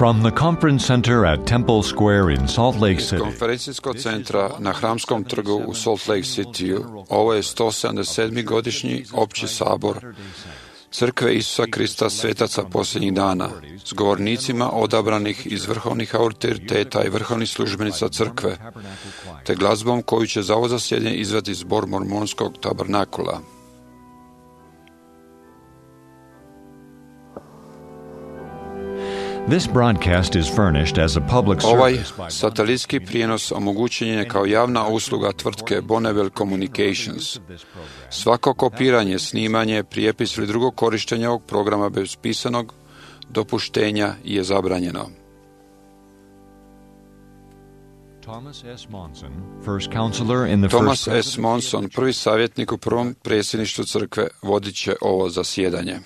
From the conference center at Temple Square in Salt Lake Iz City, konferencijskog centra na Hramskom trgu u Salt Lake Cityu, ovo je 177. godišnji opći sabor Crkve Isusa Krista svetaca posljednjih dana, s govornicima odabranih iz vrhovnih autoriteta i vrhovnih službenica crkve, te glazbom koju će za ovo zasjedanje izvesti zbor mormonskog tabernakula. this broadcast is furnished as a public Ovaj service by satelitski prijenos omogućen je kao javna usluga tvrtke Bonneville Communications. Svako kopiranje, snimanje, prijepis ili drugo korištenje ovog programa bez pisanog dopuštenja je zabranjeno. Thomas S. Monson, first counselor in the Thomas first S. Monson, prvi savjetnik u prvom predsjedništvu crkve, vodit će ovo zasjedanje.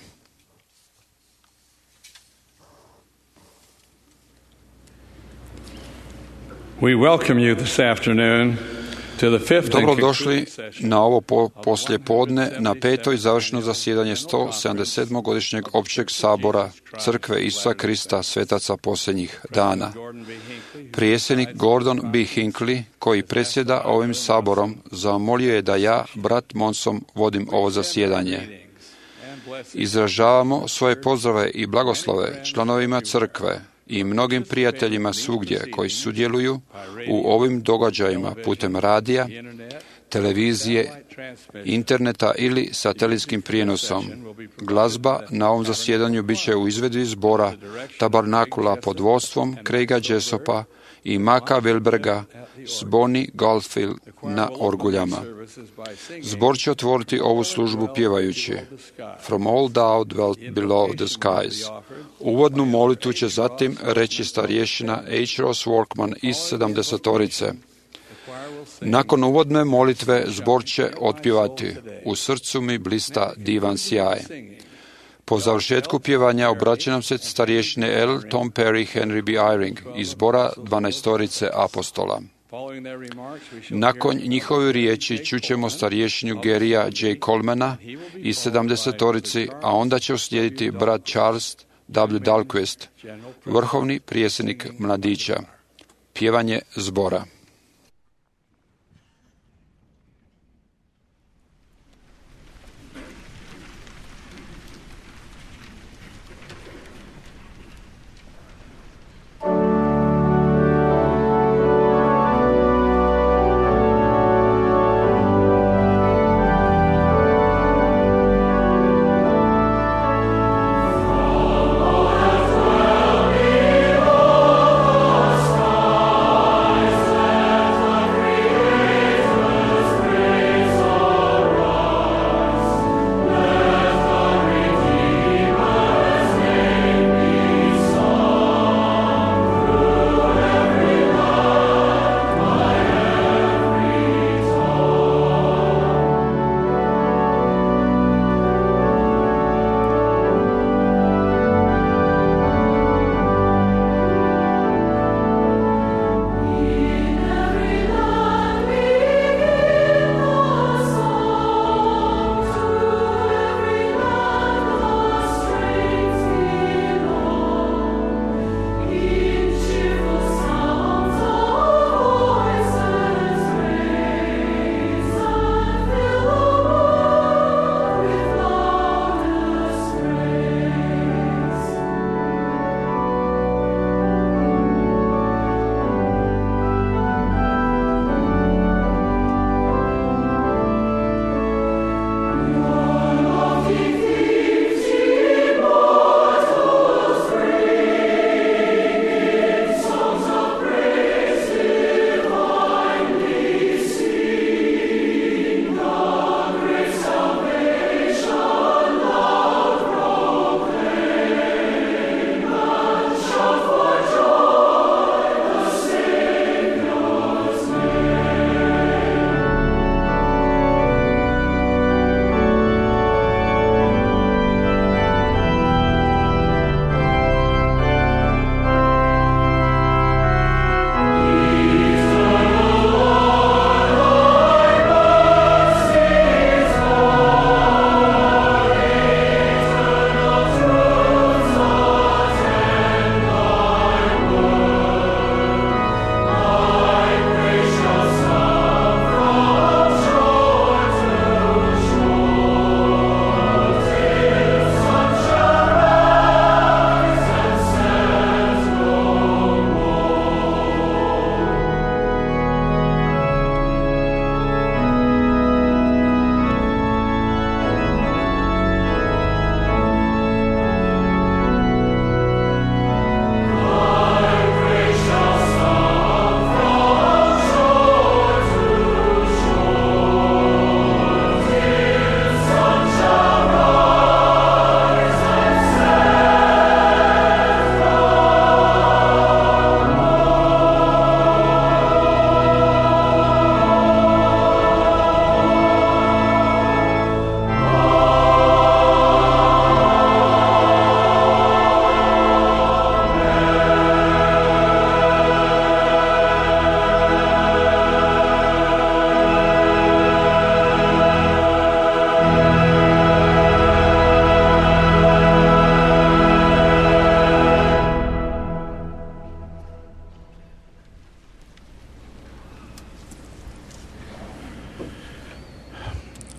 We welcome you this afternoon to the fifth and Dobrodošli concluding session na ovo poslijepodne na peto i završno zasjedanje 177. godišnjeg općeg sabora Crkve Isusa Krista svetaca posljednjih dana. Predsjednik Gordon B. Hinckley, koji predsjeda ovim saborom, zamolio je da ja, brat Monson, vodim ovo zasjedanje. Izražavamo svoje pozdrave i blagoslove članovima crkve i mnogim prijateljima svugdje koji sudjeluju u ovim događajima putem radija, televizije, interneta ili satelitskim prijenosom. Glazba na ovom zasjedanju bit će u izvedbi zbora Tabernakula pod vodstvom Craiga Jessopa i Maka Wilberga s Bonnie Goldfield na orguljama. Zbor će otvoriti ovu službu pjevajući From all thou dwelt below the skies. Uvodnu molitvu će zatim reći starješina H. Ross Workman iz 70-torice. Nakon uvodne molitve zbor će otpjevati U srcu mi blista divan sjaj. Po završetku pjevanja obraća nam se starješine L. Tom Perry, Henry B. Eyring iz zbora 12-torice apostola. Nakon njihove riječi čućemo starješinju Garyja J. Colemana iz 70-torici, a onda će uslijediti brat Charles W. Dahlquist, vrhovni prijesjednik mladića. Pjevanje zbora. Skies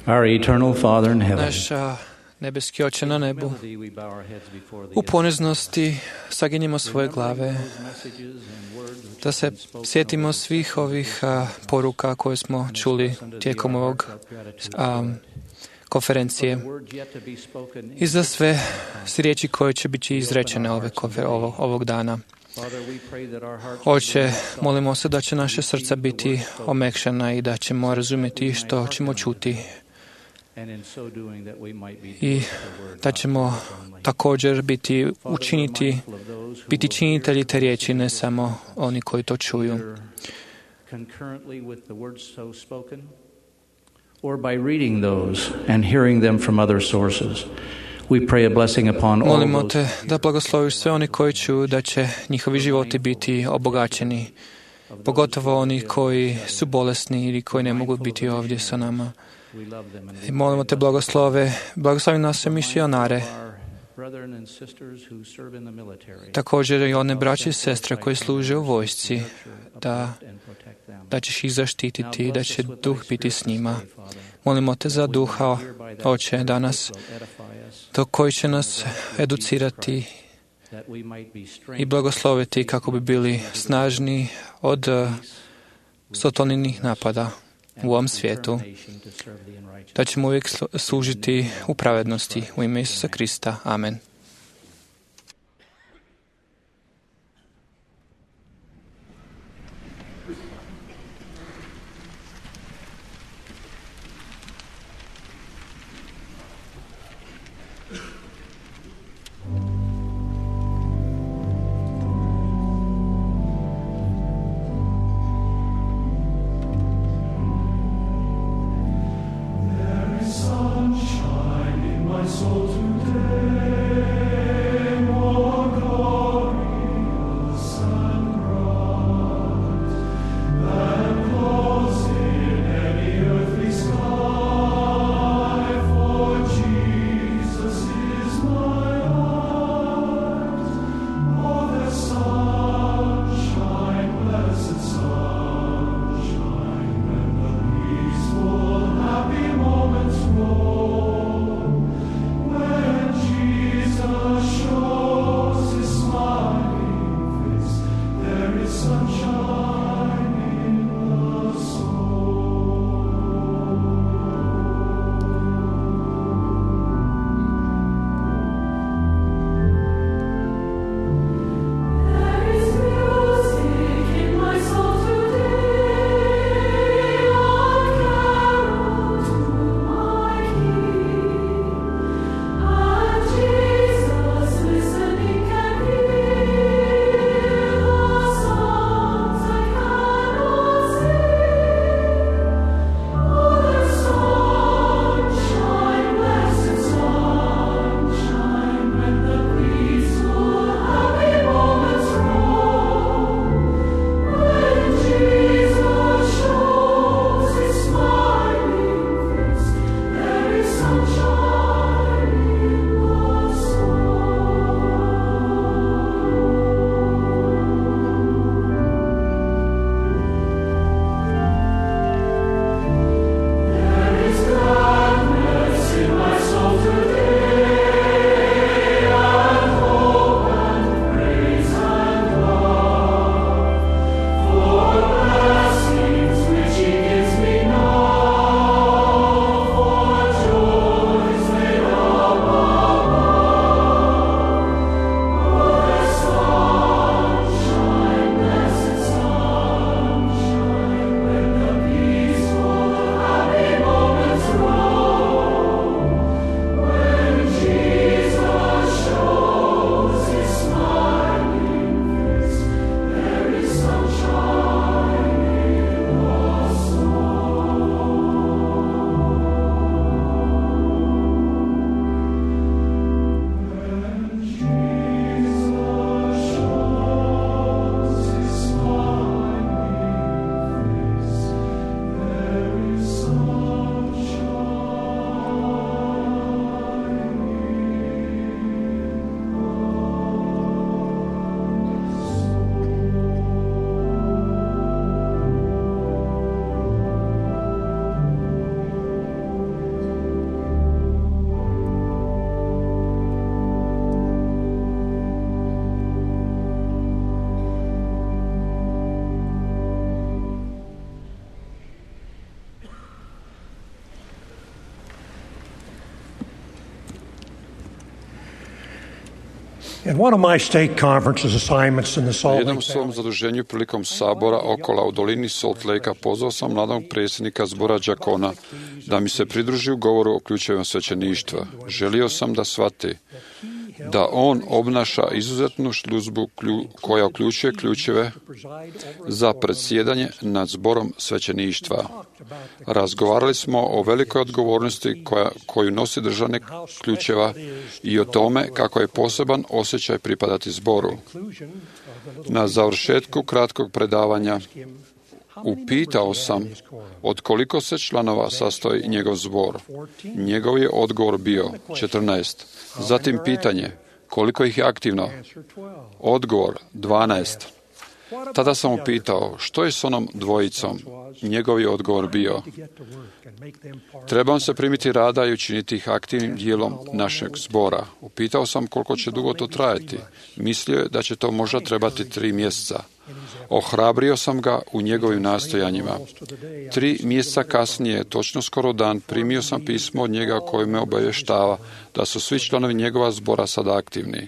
Our eternal Father in heaven, Naš nebeski Oče na nebu, u poniznosti saginjimo svoje glave, da se sjetimo svih ovih poruka koje smo čuli tijekom ovog konferencije i za sve riječi koje će biti izrečene ovog dana. Oče, molimo se da će naše srca biti omekšana i da ćemo razumjeti što ćemo čuti i da ćemo također biti činitelji te riječi, ne samo oni koji to čuju. Or by reading those and hearing them from other sources. We pray a blessing upon all Molimo those. te da blagosloviš sve oni koji čuju, da će njihovi životi biti obogaćeni, pogotovo oni koji su bolesni ili koji ne mogu biti ovdje sa nama. I molimo te blagoslovi naše misionare, također i one braće i sestre koji služe u vojsci, da ćeš ih zaštititi i da će duh biti s njima. Molimo te za duha, Oče, danas, koji će nas educirati i blagosloviti kako bi bili snažni od sotoninih napada u ovom svijetu, da ćemo uvijek služiti u pravednosti u ime Isusa Krista. Amen. In one of my state conferences assignments in the Na Salt jednom Lake svom Valley, zaduženju prilikom sabora Okola u dolini Salt Lakea pozvao sam mladog predsjednika zbora đakona da mi se pridruži u govoru o ključevima svećeništva. Želio sam da shvati da on obnaša izuzetnu službu koja uključuje ključeve za predsjedanje nad zborom svećeništva. Razgovarali smo o velikoj odgovornosti koju nosi držanje ključeva i o tome kako je poseban osjećaj pripadati zboru. Na završetku kratkog predavanja upitao sam od koliko se članova sastoji njegov zbor. Njegov je odgovor bio 14. Zatim pitanje, koliko ih je aktivno? Odgovor 12. Tada sam upitao, što je s onom dvojicom? Njegov je odgovor bio, trebam se primiti rada i učiniti ih aktivnim dijelom našeg zbora. Upitao sam koliko će dugo to trajati. Mislio je da će to možda trebati 3 mjeseca. Ohrabrio sam ga u njegovim nastojanjima. 3 mjeseca kasnije, točno skoro dan, primio sam pismo od njega koje me obavještava da su svi članovi njegova zbora sada aktivni.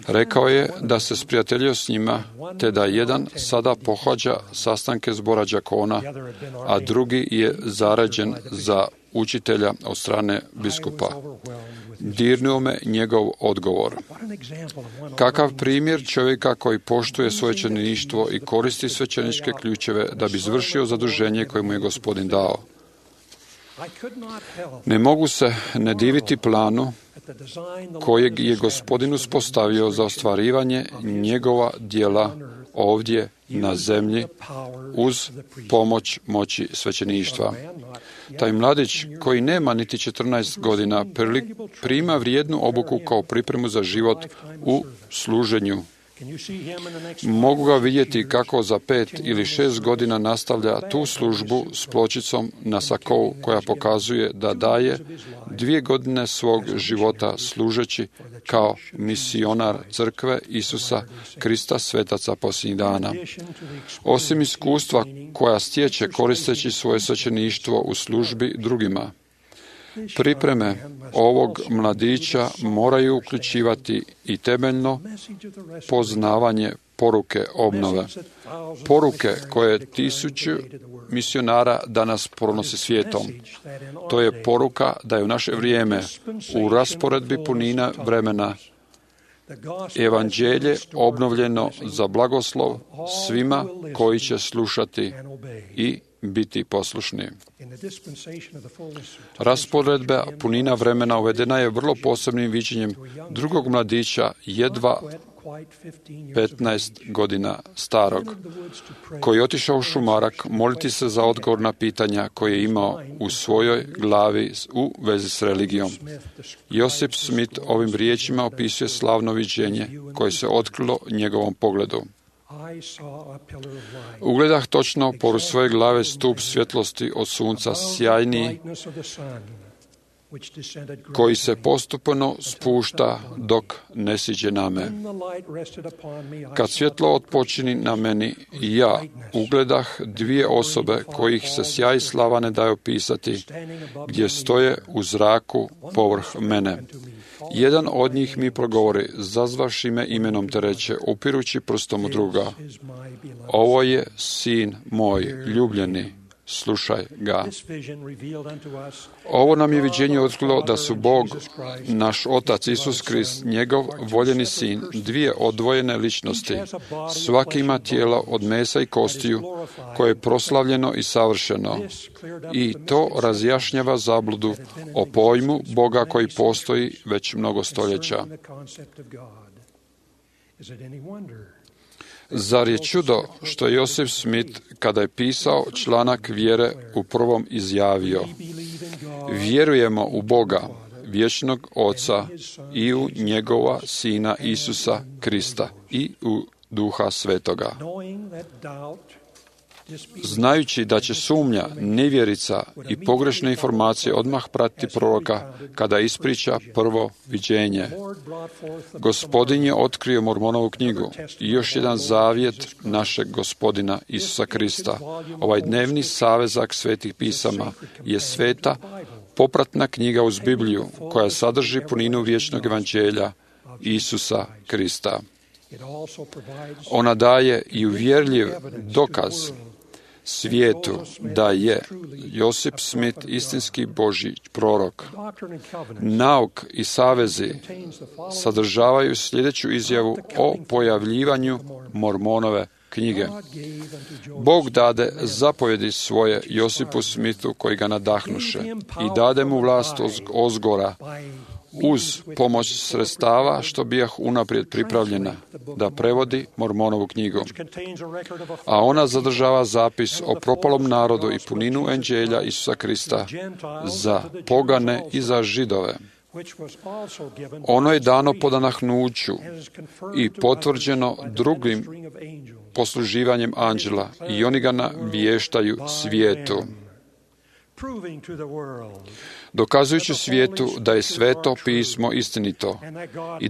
Rekao je da se sprijateljio s njima, te da jedan sada pohađa sastanke zbora đakona, a drugi je zaređen za učitelja od strane biskupa. Dirnuo me njegov odgovor. Kakav primjer čovjeka koji poštuje svoje svećeništvo i koristi svećeničke ključeve da bi izvršio zaduženje koje mu je Gospodin dao. Ne mogu se ne diviti planu kojeg je Gospodin uspostavio za ostvarivanje njegova djela ovdje na zemlji uz pomoć moći svećeništva. Taj mladić koji nema niti 14 godina prima vrijednu obuku kao pripremu za život u služenju. Mogu ga vidjeti kako za 5 ili 6 godina nastavlja tu službu s pločicom na sakou koja pokazuje da daje 2 godine svog života služeći kao misionar crkve Isusa Krista svetaca posljednjih dana. Osim iskustva koja stječe koristeći svoje svećeništvo u službi drugima, pripreme ovog mladića moraju uključivati i temeljno poznavanje poruke obnove. Poruke koje 1000 misionara danas pronosi svijetom. To je poruka da je u naše vrijeme u rasporedbi punina vremena evanđelje obnovljeno za blagoslov svima koji će slušati i biti poslušni. Rasporedba punina vremena uvedena je vrlo posebnim viđenjem drugog mladića, jedva 15 godina starog, koji je otišao u šumarak moliti se za odgovor na pitanja koje je imao u svojoj glavi u vezi s religijom. Josip Smith ovim riječima opisuje slavno viđenje koje se otkrilo njegovom pogledu. Ugledah točno pored svoje glave stup svjetlosti od sunca sjajniji, koji se postupno spušta dok ne siđe na me. Kad svjetlo otpočini na meni, ja ugledah 2 osobe kojih se sjaj slava ne daje opisati, gdje stoje u zraku povrh mene. Jedan od njih mi progovori, zazvavši me imenom te reče, upirući prstom u druga, ovo je sin moj, ljubljeni, slušaj ga. Ovo nam je viđenje otkrilo da su Bog, naš Otac Isus Krist, njegov voljeni sin, 2 odvojene ličnosti. Svaki ima tijelo od mesa i kostiju, koje je proslavljeno i savršeno. I to razjašnjava zabludu o pojmu Boga koji postoji već mnogo stoljeća. Zar je čudo što je Josip Smith, kada je pisao članak vjere, u prvom izjavio: vjerujemo u Boga, vječnog Oca, i u njegova Sina Isusa Krista i u Duha Svetoga. Znajući da će sumnja, nevjerica i pogrešne informacije odmah pratiti proroka kada ispriča prvo viđenje. Gospodin je otkrio Mormonovu knjigu i još jedan zavjet našeg Gospodina Isusa Krista. Ovaj dnevni savezak svetih pisama je sveta popratna knjiga uz Bibliju koja sadrži puninu vječnog evanđelja Isusa Krista. Ona daje i uvjerljiv dokaz svijetu da je Josip Smith istinski Božji prorok. Nauk i savezi sadržavaju sljedeću izjavu o pojavljivanju Mormonove knjige. Bog dade zapovjedi svoje Josipu Smithu koji ga nadahnuše i dade mu vlast ozgora uz pomoć sredstava što bijah unaprijed pripravljena da prevodi Mormonovu knjigu. A ona zadržava zapis o propalom narodu i puninu enđelja Isusa Krista za pogane i za Židove. Ono je dano po nadahnuću i potvrđeno drugim posluživanjem anđela i oni ga navještaju svijetu, dokazujući svijetu da je sveto pismo istinito i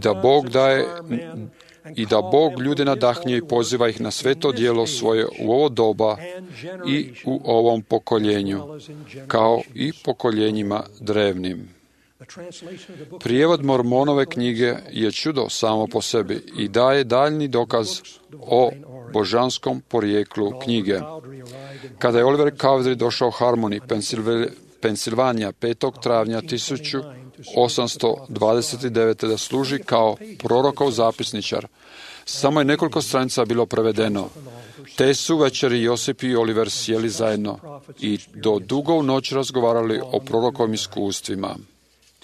da Bog ljude nadahnje i poziva ih na sveto djelo svoje u ovo doba i u ovom pokoljenju, kao i pokoljenjima drevnim. Prijevod Mormonove knjige je čudo samo po sebi i daje daljni dokaz o božanskom porijeklu knjige. Kada je Oliver Cowdery došao u Harmony, Pensilvanija, 5. travnja 1829. da služi kao prorokov zapisničar, samo je nekoliko stranica bilo prevedeno. Te su večeri Josip i Oliver sjeli zajedno i do dugo u noć razgovarali o prorokovim iskustvima.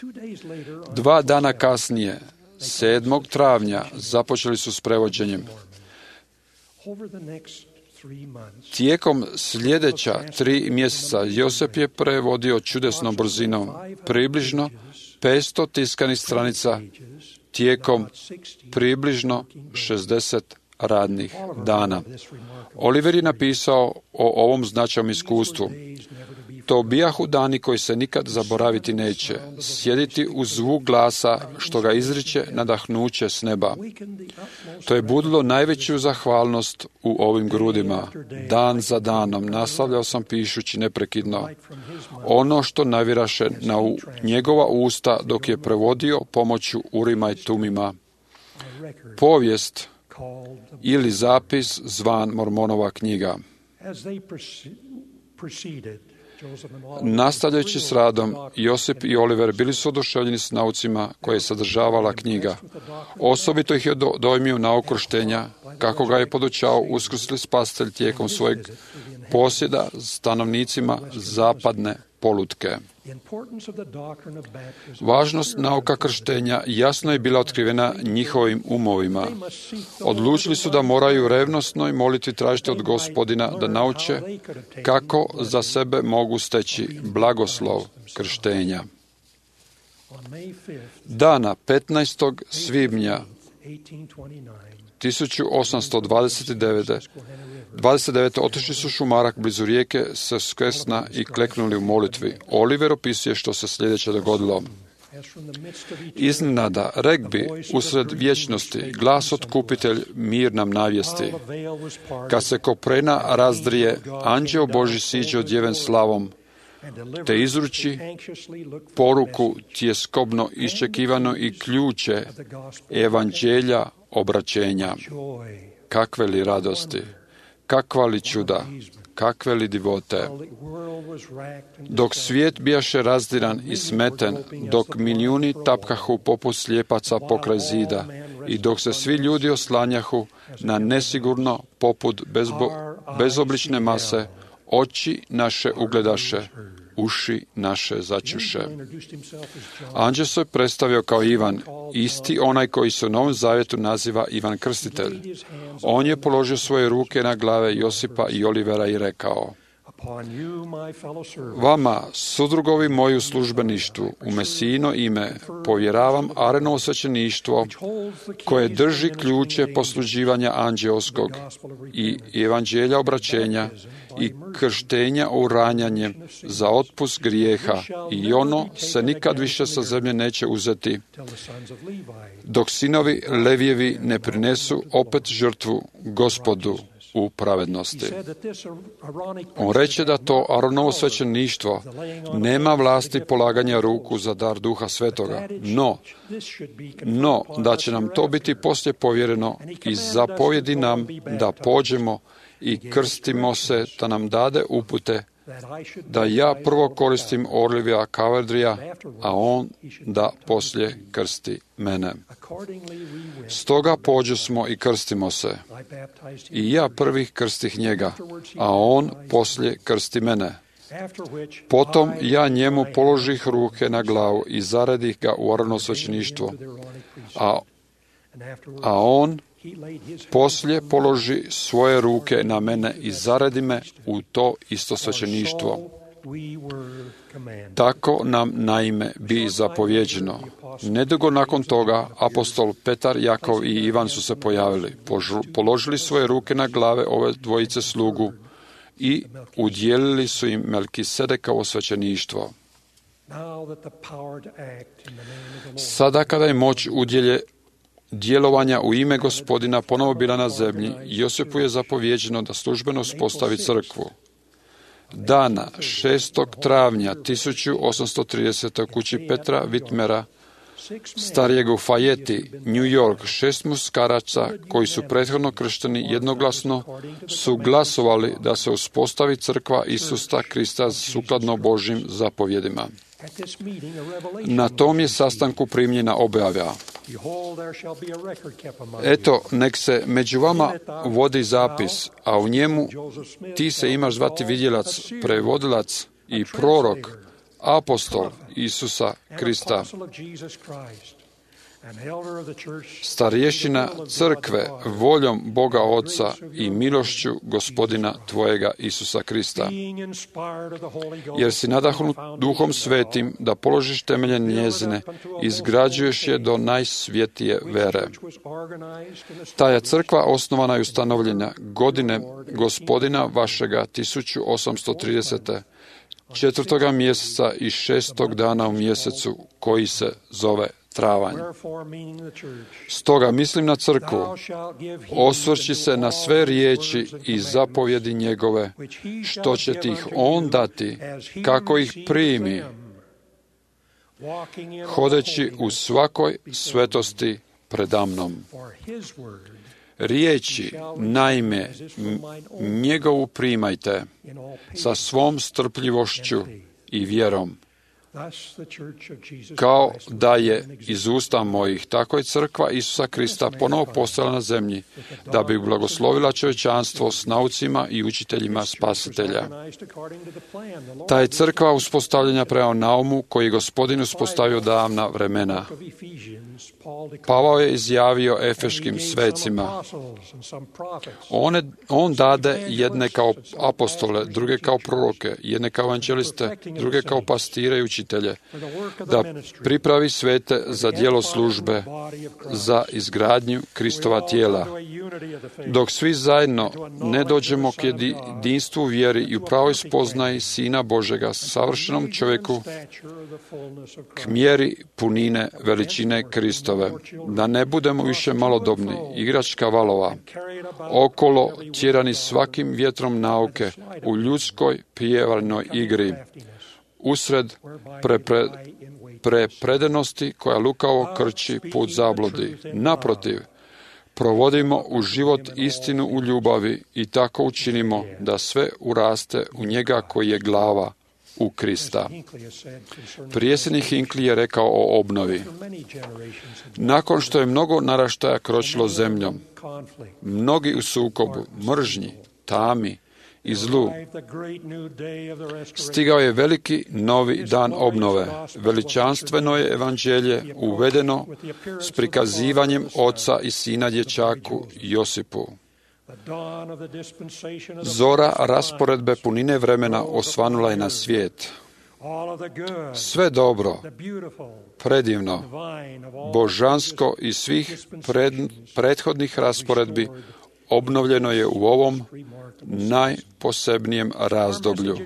2 dana kasnije, 7. travnja, započeli su s prevođenjem. Tijekom sljedeća 3 mjeseca Josip je prevodio čudesnom brzinom, približno 500 tiskanih stranica tijekom približno 60 radnih dana. Oliver je napisao o ovom značajnom iskustvu. To bijahu dani koji se nikad zaboraviti neće, sjediti uz zvuk glasa što ga izriče nadahnuće s neba. To je budilo najveću zahvalnost u ovim grudima. Dan za danom nastavljao sam pišući neprekidno ono što naviraše na njegova usta dok je prevodio pomoću Urima i Tumima. Povijest ili zapis zvan Mormonova knjiga. Nastavljajući s radom, Josip i Oliver bili su oduševljeni s naucima koje je sadržavala knjiga. Osobito ih je dojmio nauk krštenja, kako ga je podučao uskrsli spasitelj tijekom svojeg posjeda stanovnicima zapadne polutke. Važnost nauka krštenja jasno je bila otkrivena njihovim umovima. Odlučili su da moraju revnosno i moliti tražiti od Gospodina da nauče kako za sebe mogu steći blagoslov krštenja. Dana 15. svibnja 1829. otišli su šumarak blizu rijeke Susquehanna i kleknuli u molitvi. Oliver opisuje što se sljedeće dogodilo. Iznenada, regbi, usred vječnosti, glas otkupitelj, mir nam navijesti. Kad se koprena razdrije, anđeo Božji siđe odjeven slavom, te izruči poruku tjeskobno iščekivano i ključe evanđelja obraćenja. Kakve li radosti, kakva li čuda, kakve li divote. Dok svijet bijaše razdiran i smeten, dok milijuni tapkahu poput slijepaca pokraj zida i dok se svi ljudi oslanjahu na nesigurno poput bezoblične mase, oči naše ugledaše, uši naše začuše. Anđeo se predstavio kao Ivan, isti onaj koji se u Novom Zavjetu naziva Ivan Krstitelj. On je položio svoje ruke na glave Josipa i Olivera i rekao: Vama, sudrugovi moji u službeništvu, u Mesijino ime, povjeravam arenovo svećeništvo koje drži ključe posluživanja anđeoskog i evanđelja obraćenja i krštenja uranjanjem za otpust grijeha i ono se nikad više sa zemlje neće uzeti, dok sinovi Levijevi ne prinesu opet žrtvu Gospodu u pravednosti. On reče da to Aronovo svećeništvo nema vlasti polaganja ruku za dar Duha Svetoga, no da će nam to biti poslije povjereno i zapovjedi nam da pođemo i krstimo se, da nam dade upute da ja prvo koristim Orlivija Kaverdrija, a on da poslije krsti mene. Stoga pođosmo i krstimo se. I ja prvih krstih njega, a on poslije krsti mene. Potom ja njemu položih ruke na glavu i zaredih ga u Aronovo svećeništvo, a on poslije položi svoje ruke na mene i zaredi me u to isto svećeništvo. Tako nam naime bi zapovjeđeno. Nedugo nakon toga apostol Petar, Jakov i Ivan su se pojavili, položili svoje ruke na glave ove dvojice slugu i udjelili su im Melkisedekovo svećeništvo. Sada kada je moć djelovanja u ime Gospodina ponovo bila na zemlji, Josipu je zapovjeđeno da službeno uspostavi crkvu. Dana 6. travnja 1830. u kući Petra Whitmera, starijeg u Fayeti, New York, 6 muškaraca koji su prethodno kršteni jednoglasno su glasovali da se uspostavi crkva Isusa Krista sukladno Božjim zapovjedima. Na tom je sastanku primljena objava. Eto, nek se među vama vodi zapis, a u njemu ti se imaš zvati vidjelac, prevodilac i prorok, apostol Isusa Krista, starješina crkve voljom Boga Oca i milošću Gospodina tvojega Isusa Krista. Jer si nadahnut Duhom Svetim da položiš temelje njezine, izgrađuješ je do najsvjetije vere. Ta je crkva osnovana i ustanovljena godine Gospodina vašega 1830. 4. mjeseca i 6. dana u mjesecu koji se zove travanj. Stoga mislim na crkvu, osvrći se na sve riječi i zapovjedi njegove, što će ti ih on dati, kako ih primi, hodeći u svakoj svetosti predamnom. Riječi, naime, njegovu primajte sa svom strpljivošću i vjerom, kao da je iz usta mojih, tako je crkva Isusa Krista ponovo postala na zemlji, da bi blagoslovila čovječanstvo s naucima i učiteljima Spasitelja. Ta je crkva uspostavljena prema naumu koji je Gospodin uspostavio davna vremena. Pavao je izjavio efeškim svecima: on dade jedne kao apostole, druge kao proroke, jedne kao evanđeliste, druge kao pastire i učitelje, da pripravi svete za djelo službe, za izgradnju Kristova tijela. Dok svi zajedno ne dođemo k jedinstvu vjeri i u pravoj spoznaji Sina Božega, savršenom čovjeku, k mjeri punine veličine Kristove, da ne budemo više malodobni, igračka valova, okolo tjerani svakim vjetrom nauke u ljudskoj prijevarnoj igri, usred prepredenosti koja lukavo krči put zabludi. Naprotiv, provodimo u život istinu u ljubavi i tako učinimo da sve uraste u njega koji je glava, u Krista. Predsjednik Hinckley je rekao o obnovi. Nakon što je mnogo naraštaja kročilo zemljom, mnogi u sukobu, mržnji, tami i zlu, stigao je veliki novi dan obnove. Veličanstveno je evanđelje uvedeno s prikazivanjem oca i sina dječaku Josipu. Zora rasporedbe punine vremena osvanula je na svijet. Sve dobro, predivno, božansko i svih prethodnih rasporedbi obnovljeno je u ovom najposebnijem razdoblju.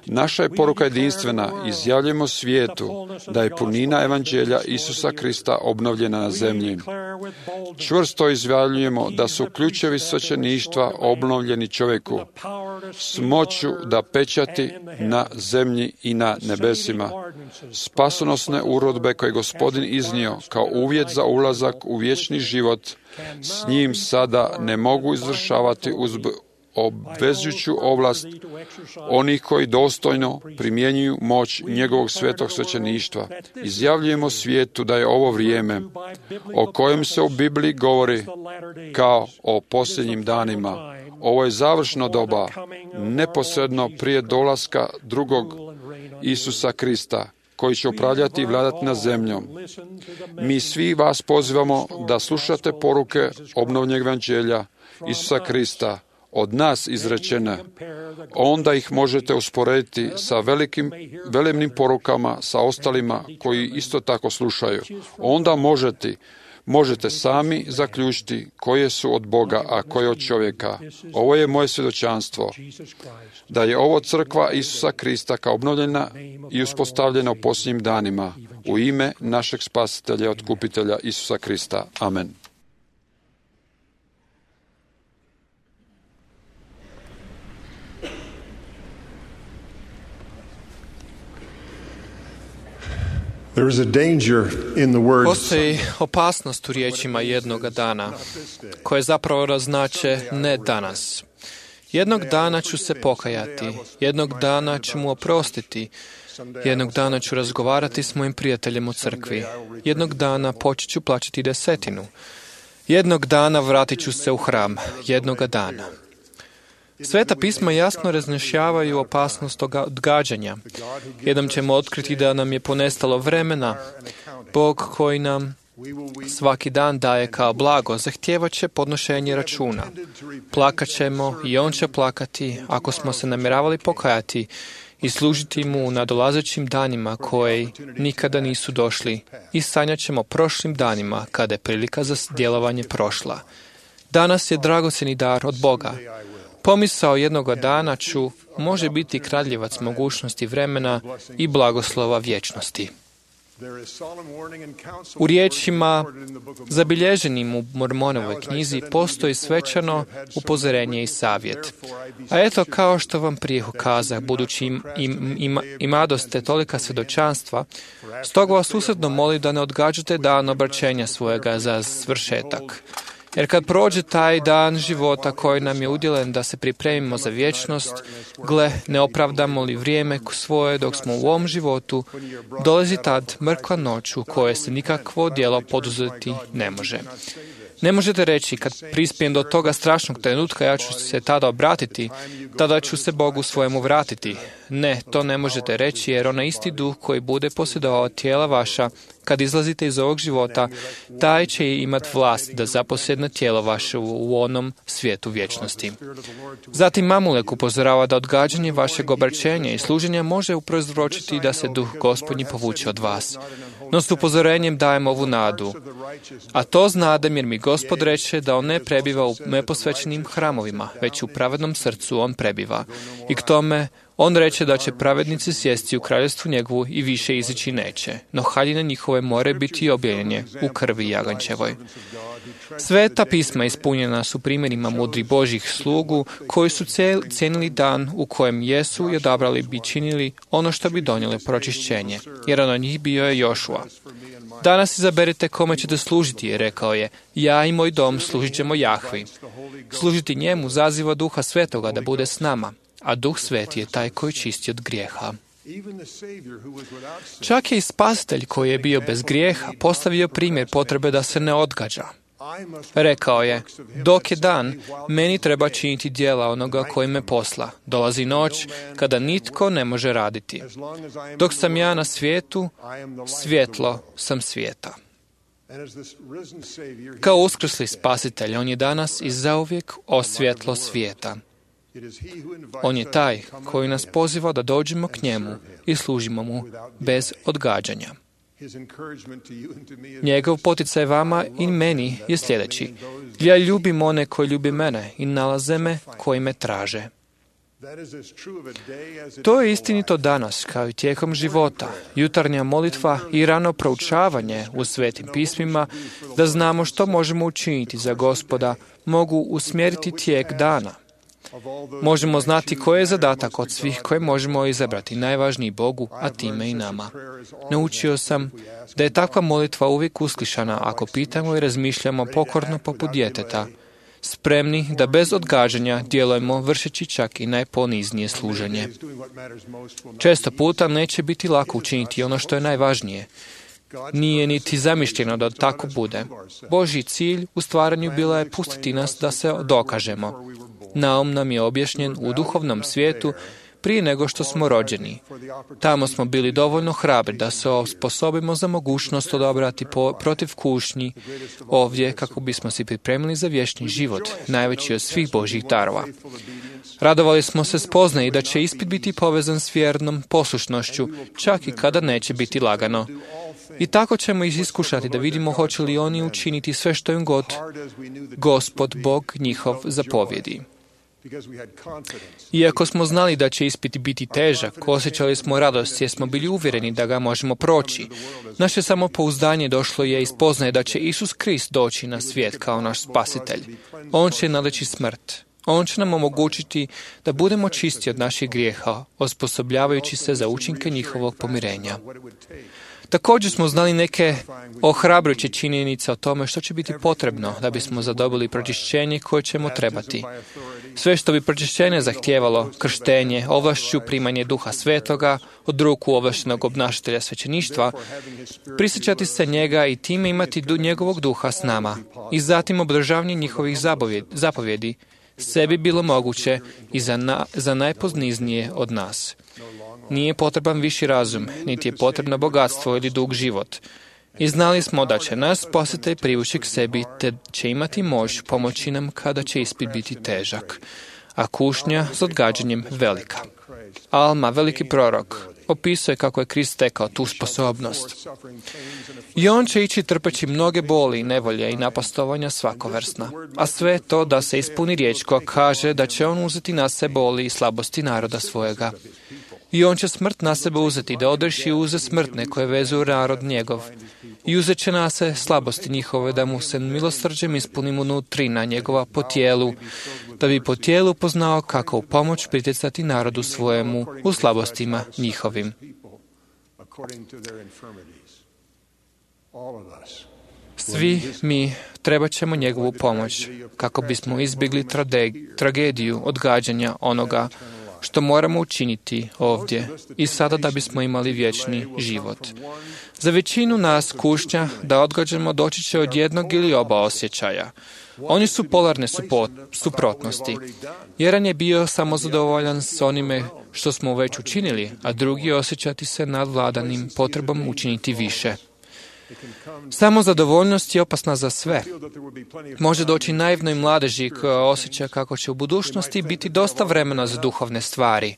Naša je poruka jedinstvena, izjavljujemo svijetu da je punina evanđelja Isusa Krista obnovljena na zemlji. Čvrsto izjavljujemo da su ključevi svećeništva obnovljeni čovjeku s moću da pečati na zemlji i na nebesima. Spasonosne urodbe koje je Gospodin iznio kao uvjet za ulazak u vječni život s njim sada ne mogu izvršavati uz obvezujuću ovlast onih koji dostojno primjenjuju moć njegovog svetog svećeništva. Izjavljujemo svijetu da je ovo vrijeme o kojem se u Bibliji govori kao o posljednjim danima. Ovo je završno doba, neposredno prije dolaska drugog Isusa Krista, koji će upravljati i vladati na zemljom. Mi svi vas pozivamo da slušate poruke obnovljenog evanđelja Isusa Krista, od nas izrečene. Onda ih možete usporediti sa velemnim porukama, sa ostalima koji isto tako slušaju. Onda možete sami zaključiti koje su od Boga, a koje od čovjeka. Ovo je moje svjedočanstvo, da je ovo crkva Isusa Krista kao obnovljena i uspostavljena u posljednjim danima, u ime našeg spasitelja i otkupitelja Isusa Krista. Amen. Postoji opasnost u riječima jednoga dana, koje zapravo znače ne danas. Jednog dana ću se pokajati, jednog dana ću mu oprostiti, jednog dana ću razgovarati s mojim prijateljem u crkvi, jednog dana počet ću plaćati desetinu, jednog dana vratit ću se u hram, jednoga dana. Sveta pisma jasno raznjašavaju opasnost odgađanja. Jednom ćemo otkriti da nam je ponestalo vremena. Bog koji nam svaki dan daje kao blago zahtijevat će podnošenje računa. Plakat ćemo i on će plakati ako smo se namjeravali pokajati i služiti mu u nadolazećim danima koji nikada nisu došli i sanjat ćemo prošlim danima kada je prilika za djelovanje prošla. Danas je dragocjeni dar od Boga. Pomisao jednoga dana ću može biti kradljivac mogućnosti vremena i blagoslova vječnosti. U riječima zabilježenim u Mormonovoj knjizi postoji svečano upozorenje i savjet. A eto, kao što vam prije ukazah, budući imadoste tolika svjedočanstva, stoga vas usrdno molim da ne odgađate dan obraćenja svojega za svršetak. Jer kad prođe taj dan života koji nam je udjelen da se pripremimo za vječnost, gle, ne opravdamo li vrijeme svoje dok smo u ovom životu, dolazi tad mrkva noć u kojoj se nikakvo djelo poduzeti ne može. Ne možete reći, kad prispijem do toga strašnog trenutka, ja ću se tada obratiti, tada ću se Bogu svojemu vratiti. Ne, to ne možete reći, jer onaj isti duh koji bude posjedovao tijela vaša, kad izlazite iz ovog života, taj će imati vlast da zaposjedne tijelo vaše u onom svijetu vječnosti. Zatim Mamulek upozorava da odgađanje vašeg obraćenja i služenja može prouzročiti da se duh Gospodnji povuče od vas. No s upozorenjem dajem ovu nadu. A to znadem jer mi Gospod reče da on ne prebiva u neposvećenim hramovima, već u pravednom srcu on prebiva. I k tome on reče da će pravednici sjesti u kraljevstvu njegovu i više izići neće, no haljine njihove more biti objavljene u krvi jagančevoj. Sveta pisma ispunjena su primjerima mudrih Božjih slugu koji su cijenili dan u kojem jesu i odabrali bi činili ono što bi donijelo pročišćenje, jer on od njih bio je Jošua. Danas izaberite kome ćete služiti, je rekao je, ja i moj dom služit ćemo Jahvi. Služiti njemu zaziva Duha Svetoga da bude s nama, a Duh Sveti je taj koji čisti od grijeha. Čak je i Spasitelj koji je bio bez grijeha postavio primjer potrebe da se ne odgađa. Rekao je, dok je dan, meni treba činiti djela onoga koji me posla. Dolazi noć kada nitko ne može raditi. Dok sam ja na svijetu, svjetlo sam svijeta. Kao uskrsli Spasitelj, on je danas i zauvijek svjetlo svijeta. On je taj koji nas poziva da dođemo k njemu i služimo mu bez odgađanja. Njegov poticaj vama i meni je sljedeći. Ja ljubim one koji ljubi mene i nalaze me koji me traže. To je istinito danas, kao i tijekom života. Jutarnja molitva i rano proučavanje u svetim pismima, da znamo što možemo učiniti za Gospoda, mogu usmjeriti tijek dana. Možemo znati koji je zadatak od svih koje možemo izabrati, najvažniji Bogu, a time i nama. Naučio sam da je takva molitva uvijek uslišana ako pitamo i razmišljamo pokorno poput djeteta, spremni da bez odgađanja djelujemo vršeći čak i najponiznije služenje. Često puta neće biti lako učiniti ono što je najvažnije. Nije niti zamišljeno da tako bude. Božji cilj u stvaranju bila je pustiti nas da se dokažemo. Naum nam je objašnjen u duhovnom svijetu prije nego što smo rođeni. Tamo smo bili dovoljno hrabri da se osposobimo za mogućnost odabrati protiv kušnji ovdje kako bismo se pripremili za vječni život, najveći od svih Božjih darova. Radovali smo se spoznaji da će ispit biti povezan s vjernom poslušnošću, čak i kada neće biti lagano. I tako ćemo ih iskušati da vidimo hoće li oni učiniti sve što im god Gospod Bog njihov zapovjedi. Iako smo znali da će ispit biti težak, osjećali smo radost jer smo bili uvjereni da ga možemo proći. Naše samopouzdanje došlo je iz spoznaje da će Isus Krist doći na svijet kao naš spasitelj. On će nadići smrt. On će nam omogućiti da budemo čisti od naših grijeha, osposobljavajući se za učinke njihovog pomirenja. Također smo znali neke ohrabrujuće činjenice o tome što će biti potrebno da bismo zadobili pročišćenje koje ćemo trebati. Sve što bi pročišćenje zahtijevalo, krštenje, ovlašću, primanje Duha Svetoga, od ruku ovlaštenog obnašatelja svećeništva, prisjećati se njega i time imati njegovog duha s nama i zatim obdržavanje njihovih zapovjedi, sve bi bilo moguće i za najpozniznije od nas. Nije potreban viši razum, niti je potrebno bogatstvo ili dug život. I znali smo da će nas Spasitelj privući k sebi, te će imati moć pomoći nam kada će ispit biti težak, a kušnja s odgađanjem velika. Alma, veliki prorok, opisuje kako je Krist stekao tu sposobnost. I on će ići trpeći mnoge boli, nevolje i napastovanja svakovrsna, a sve to da se ispuni riječ koja kaže da će on uzeti na sebe boli i slabosti naroda svojega. I on će smrt na sebe uzeti, da odreši uze smrtne koje vezuju narod njegov. I uzet će na se slabosti njihove, da mu se milosrđem ispuni unutrina njegova po tijelu, da bi po tijelu poznao kako u pomoć pritjecati narodu svojemu u slabostima njihovim. Svi mi trebat ćemo njegovu pomoć, kako bismo izbjegli tragediju odgađanja onoga što moramo učiniti ovdje i sada da bismo imali vječni život. Za većinu nas kušnja da odgađamo doći će od jednog ili oba osjećaja. Oni su polarne suprotnosti. Jedan je bio samozadovoljan s onime što smo već učinili, a drugi osjećati se nadvladanim potrebom učiniti više. Samozadovoljnost je opasna za sve. Može doći naivnoj mladeži koja osjeća kako će u budućnosti biti dosta vremena za duhovne stvari.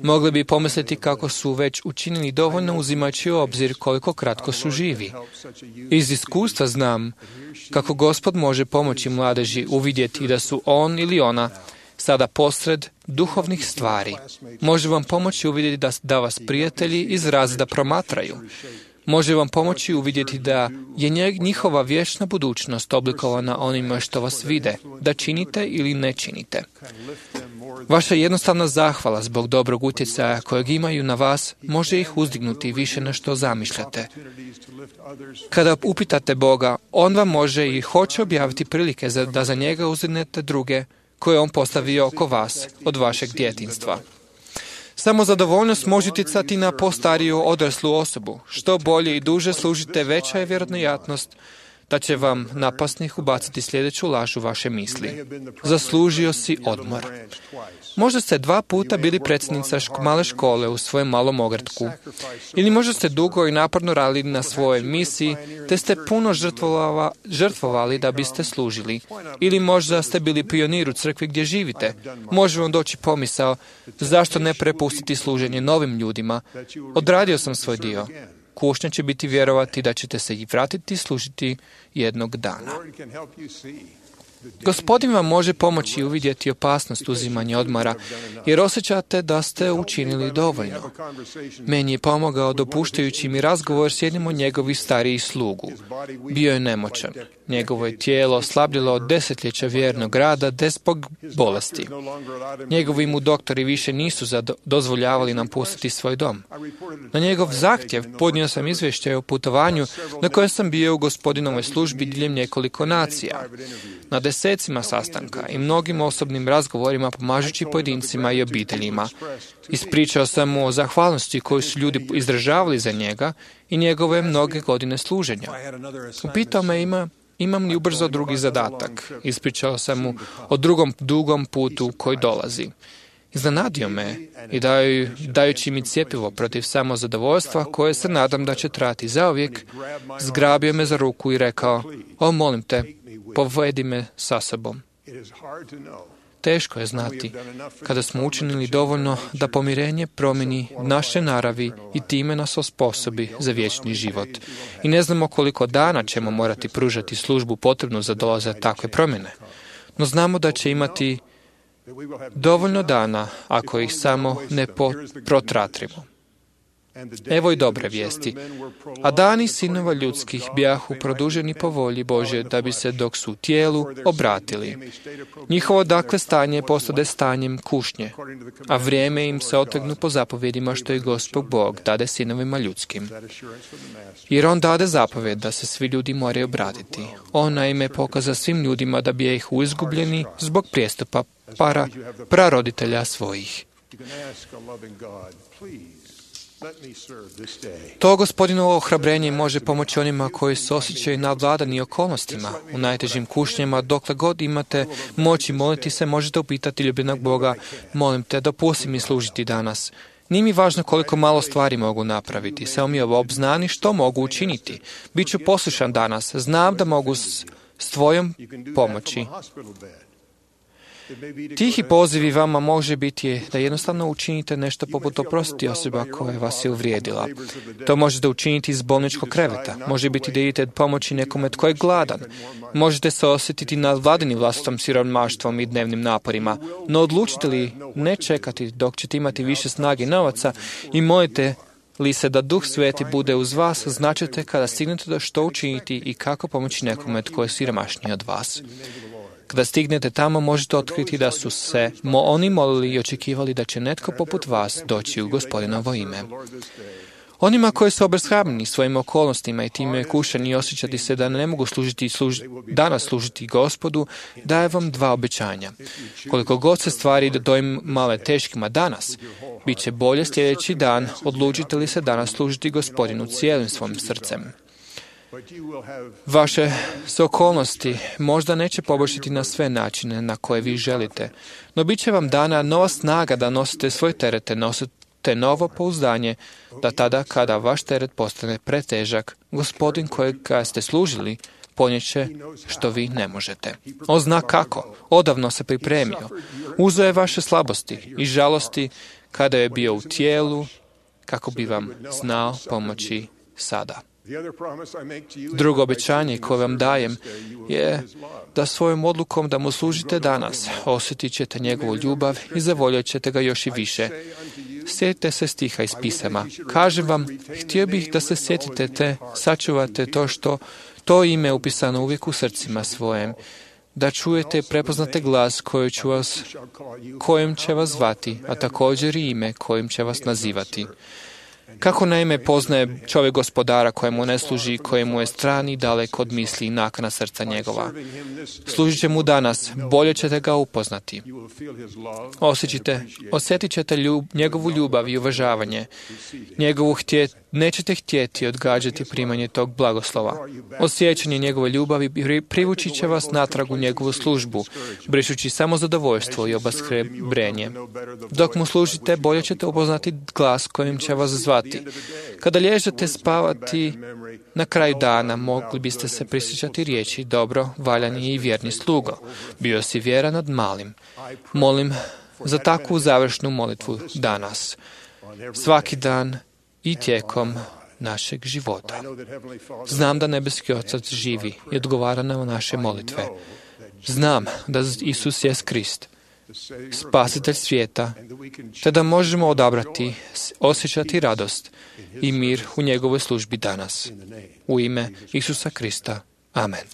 Mogli bi pomisliti kako su već učinili dovoljno uzimajući u obzir koliko kratko su živi. Iz iskustva znam kako Gospod može pomoći mladeži uvidjeti da su on ili ona sada posred duhovnih stvari. Može vam pomoći uvidjeti da vas prijatelji iz razreda promatraju. Može vam pomoći uvidjeti da je njihova vječna budućnost oblikovana onima što vas vide, da činite ili ne činite. Vaša jednostavna zahvala zbog dobrog utjecaja kojeg imaju na vas može ih uzdignuti više na što zamišljate. Kada upitate Boga, on vam može i hoće objaviti prilike da za njega uzdignete druge koje on postavio oko vas od vašeg djetinjstva. Samozadovoljnost može utjecati na postariju odraslu osobu. Što bolje i duže služite, veća je vjerojatnost da će vam napasnik ubaciti sljedeću laž u vaše misli. Zaslužio si odmor. Možda ste 2 puta bili predsjednica male škole u svojem malom ogradku. Ili možda ste dugo i naporno radili na svojoj misiji, te ste puno žrtvovali da biste služili. Ili možda ste bili pionir u crkvi gdje živite. Može vam doći pomisao, zašto ne prepustiti služenje novim ljudima? Odradio sam svoj dio. Kušnja će biti vjerovati da ćete se i vratiti služiti jednog dana. Gospodin vam može pomoći uvidjeti opasnost uzimanja odmora, jer osjećate da ste učinili dovoljno. Meni je pomogao dopuštajući mi razgovor s jednim od njegovih starijih slugu. Bio je nemoćan. Njegovo je tijelo slabljilo od desetljeća vjernog rada zbog bolesti. Njegovi mu doktori više nisu dozvoljavali nam pustiti svoj dom. Na njegov zahtjev podnio sam izvješće o putovanju na kojem sam bio u Gospodinovoj službi diljem nekoliko nacija. Na desecima sastanka i mnogim osobnim razgovorima pomažući pojedincima i obiteljima. Ispričao sam mu o zahvalnosti koju su ljudi izražavali za njega i njegove mnoge godine služenja. Upitao me imam li ubrzo drugi zadatak. Ispričao sam mu o drugom dugom putu koji dolazi. Iznenadio me i dajući mi cjepivo protiv samozadovoljstva koje se nadam da će trajati zauvijek, zgrabio me za ruku i rekao: "O, molim te, povedi me sa sobom." Teško je znati kada smo učinili dovoljno da pomirenje promijeni naše naravi i time nas osposobi za vječni život. I ne znamo koliko dana ćemo morati pružati službu potrebnu za dolazak takve promjene. No znamo da će imati dovoljno dana ako ih samo ne protratrimo. Evo i dobre vijesti. A dani sinova ljudskih bijahu produženi po volji Božje da bi se dok su u tijelu obratili. Njihovo dakle stanje postade stanjem kušnje, a vrijeme im se otegnu po zapovjedima što je Gospod Bog dade sinovima ljudskim. Jer on dade zapovjed da se svi ljudi moraju obratiti. On naime pokaza svim ljudima da bi ih izgubljeni zbog prijestupa praroditelja svojih. To Gospodinovo ohrabrenje može pomoći onima koji se osjećaju nadvladani okolnostima. U najtežim kušnjama, dokle god imate moći moliti se, možete upitati ljubljenog Boga: "Molim te, dopusti mi služiti danas." Nije mi važno koliko malo stvari mogu napraviti, samo mi obznani što mogu učiniti. Biću poslušan danas, znam da mogu s tvojom pomoći. Tihi pozivi vama može biti da jednostavno učinite nešto poput oprostiti osoba koja vas je uvrijedila. To možete učiniti iz bolničkog kreveta. Može biti da idete pomoći nekome tko je gladan. Možete se osjetiti nadvladani vlastitom siromaštvom i dnevnim naporima. No odlučite li ne čekati dok ćete imati više snage i novaca i molite li se da Duh Sveti bude uz vas, značite kada stignete da što učiniti i kako pomoći nekome tko je siromašniji od vas. Kada stignete tamo, možete otkriti da su se oni molili i očekivali da će netko poput vas doći u Gospodinovo ime. Onima koji su obeshrabreni svojim okolnostima i time kušani i osjećati se da ne mogu danas služiti Gospodu, daje vam dva obećanja. Koliko god se stvari dojim male teškima danas, bit će bolje sljedeći dan, odlučite li se danas služiti Gospodinu cijelim svojim srcem. Vaše se okolnosti možda neće poboljšati na sve načine na koje vi želite, no bit će vam dana nova snaga da nosite svoje terete, nosite novo pouzdanje, da tada kada vaš teret postane pretežak, Gospodin kojega ste služili ponijet će što vi ne možete. On zna kako, odavno se pripremio. Uzeo je vaše slabosti i žalosti kada je bio u tijelu, kako bi vam znao pomoći sada. Drugo obećanje koje vam dajem je da svojom odlukom da mu služite danas osjetit ćete njegovu ljubav i zavoljat ćete ga još i više. Sjetite se stiha iz pisama. Kažem vam, htio bih da se sjetite te, sačuvate to ime upisano uvijek u srcima svojem, da čujete i prepoznate glas kojim će vas zvati, a također i ime kojim će vas nazivati. Kako naime poznaje čovjek Gospodara kojemu ne služi, kojemu je stran i dalek od misli i nakana srca njegova? Služit će mu danas, bolje ćete ga upoznati. Osjetit ćete njegovu ljubav i uvažavanje. Nećete htjeti odgađati primanje tog blagoslova. Osjećanje njegove ljubavi privući će vas natrag u njegovu službu, brišući samo zadovoljstvo i obeshrebrenje. Dok mu služite, bolje ćete upoznati glas kojim će vas zvati. Kada lježete spavati na kraju dana, mogli biste se prisjećati riječi: dobro, valjan je i vjerni slugo. Bio si vjeran nad malim. Molim za takvu završnu molitvu danas, svaki dan i tijekom našeg života. Znam da nebeski Otac živi i odgovara na naše molitve. Znam da Isus je Krist, spasitelj svijeta, te da možemo odabrati, osjećati radost i mir u njegovoj službi danas. U ime Isusa Krista. Amen.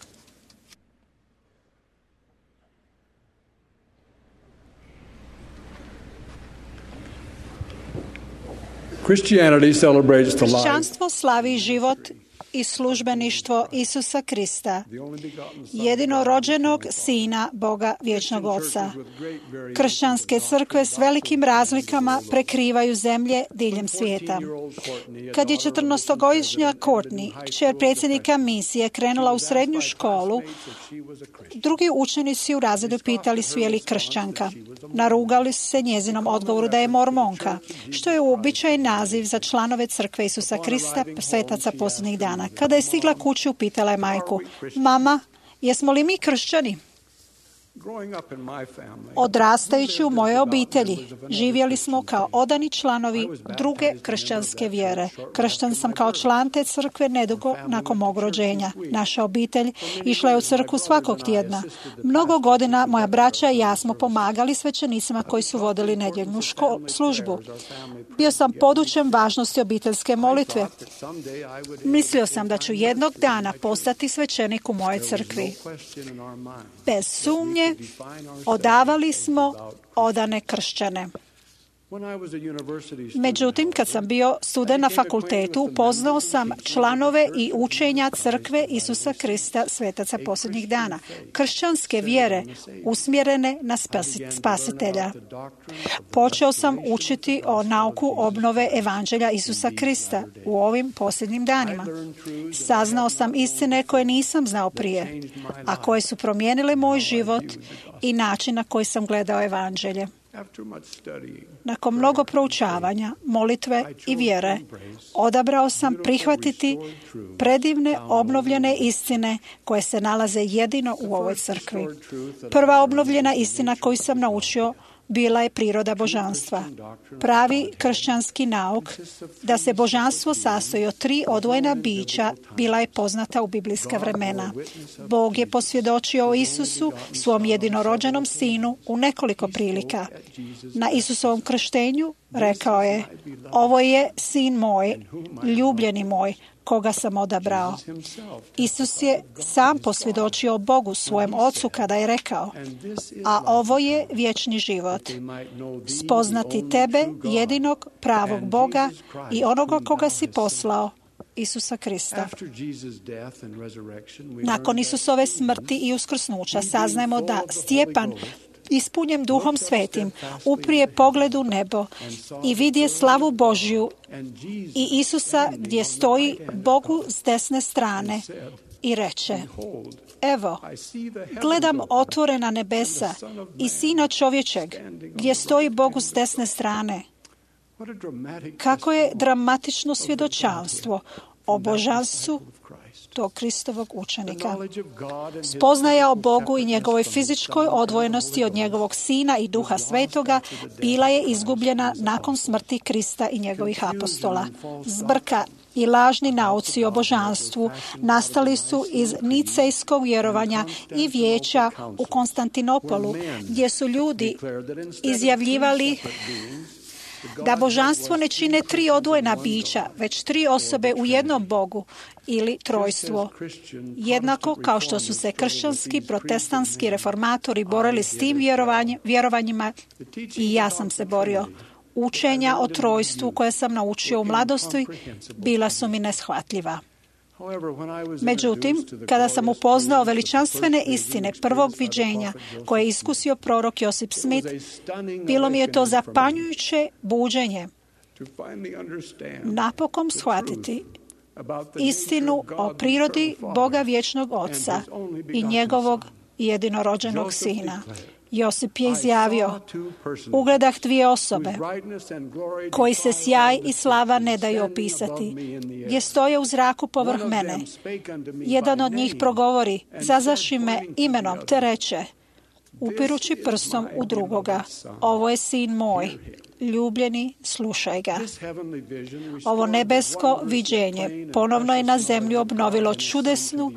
Kršćanstvo slavi život i službeništvo Isusa Krista, jedinorođenog Sina Boga Vječnog Oca. Kršćanske crkve s velikim razlikama prekrivaju zemlje diljem svijeta. Kad je 14-godišnja Courtney, kćer predsjednika misije, krenula u srednju školu, drugi učenici u razredu pitali su je li kršćanka. Narugali su se njezinom odgovoru da je mormonka, što je uobičajen naziv za članove crkve Isusa Krista, svetaca posljednjih dana. Kada je stigla kući, upitala je majku: Mama, jesmo li mi kršćani? Odrastajući u mojoj obitelji, živjeli smo kao odani članovi druge kršćanske vjere. Kršćan sam kao član te crkve nedugo nakon mog rođenja. Naša obitelj išla je u crkvu svakog tjedna. Mnogo godina moja braća i ja smo pomagali svećenicima koji su vodili nedjeljnu službu. Bio sam podučen važnosti obiteljske molitve. Mislio sam da ću jednog dana postati svećenik u mojoj crkvi. Bez sumnje, odavali smo odane kršćane. Međutim, kad sam bio student na fakultetu, upoznao sam članove i učenja crkve Isusa Krista, svetaca posljednjih dana, kršćanske vjere usmjerene na spasitelja. Počeo sam učiti o nauku obnove evanđelja Isusa Krista u ovim posljednjim danima. Saznao sam istine koje nisam znao prije, a koje su promijenile moj život i način na koji sam gledao evanđelje. Nakon mnogo proučavanja, molitve i vjere, odabrao sam prihvatiti predivne obnovljene istine koje se nalaze jedino u ovoj crkvi. Prva obnovljena istina koju sam naučio bila je priroda božanstva. Pravi kršćanski nauk da se božanstvo sastoji od 3 odvojena bića bila je poznata u biblijska vremena. Bog je posvjedočio o Isusu, svom jedinorođenom sinu, u nekoliko prilika. Na Isusovom krštenju rekao je: ovo je sin moj, ljubljeni moj, koga sam odabrao. Isus je sam posvjedočio Bogu, svojem Ocu, kada je rekao: a ovo je vječni život, spoznati tebe, jedinog pravog Boga i onoga koga si poslao, Isusa Krista. Nakon Isusove smrti i uskrsnuća saznajemo da Stjepan, ispunjen Duhom Svetim, uprije pogled u nebo i vidje slavu Božju i Isusa gdje stoji Bogu s desne strane i reče: evo, gledam otvorena nebesa i Sina čovječeg gdje stoji Bogu s desne strane. Kako je dramatično svjedočanstvo o božanstvu tog Kristovog učenika. Spoznaja o Bogu i njegovoj fizičkoj odvojenosti od njegovog Sina i Duha Svetoga bila je izgubljena nakon smrti Krista i njegovih apostola. Zbrka i lažni nauci o božanstvu nastali su iz nicejskog vjerovanja i vijeća u Konstantinopolu, gdje su ljudi izjavljivali da božanstvo ne čine 3 odvojena bića, već 3 osobe u jednom Bogu ili trojstvo. Jednako kao što su se kršćanski, protestantski reformatori borili s tim vjerovanjima, i ja sam se borio. Učenja o trojstvu koje sam naučio u mladosti bila su mi neshvatljiva. Međutim, kada sam upoznao veličanstvene istine prvog viđenja koje je iskusio prorok Josip Smith, bilo mi je to zapanjujuće buđenje. Napokon shvatiti istinu o prirodi Boga Vječnog Oca i njegovog jedinorođenog Sina. Josip je izjavio: ugledah 2 osobe koji se sjaj i slava ne daju opisati, gdje stoje u zraku povrh mene. Jedan od njih progovori: zazaši me imenom, te reče: upirući prstom u drugoga. Ovo je sin moj, ljubljeni, slušaj ga. Ovo nebesko viđenje ponovno je na zemlju obnovilo čudesnu,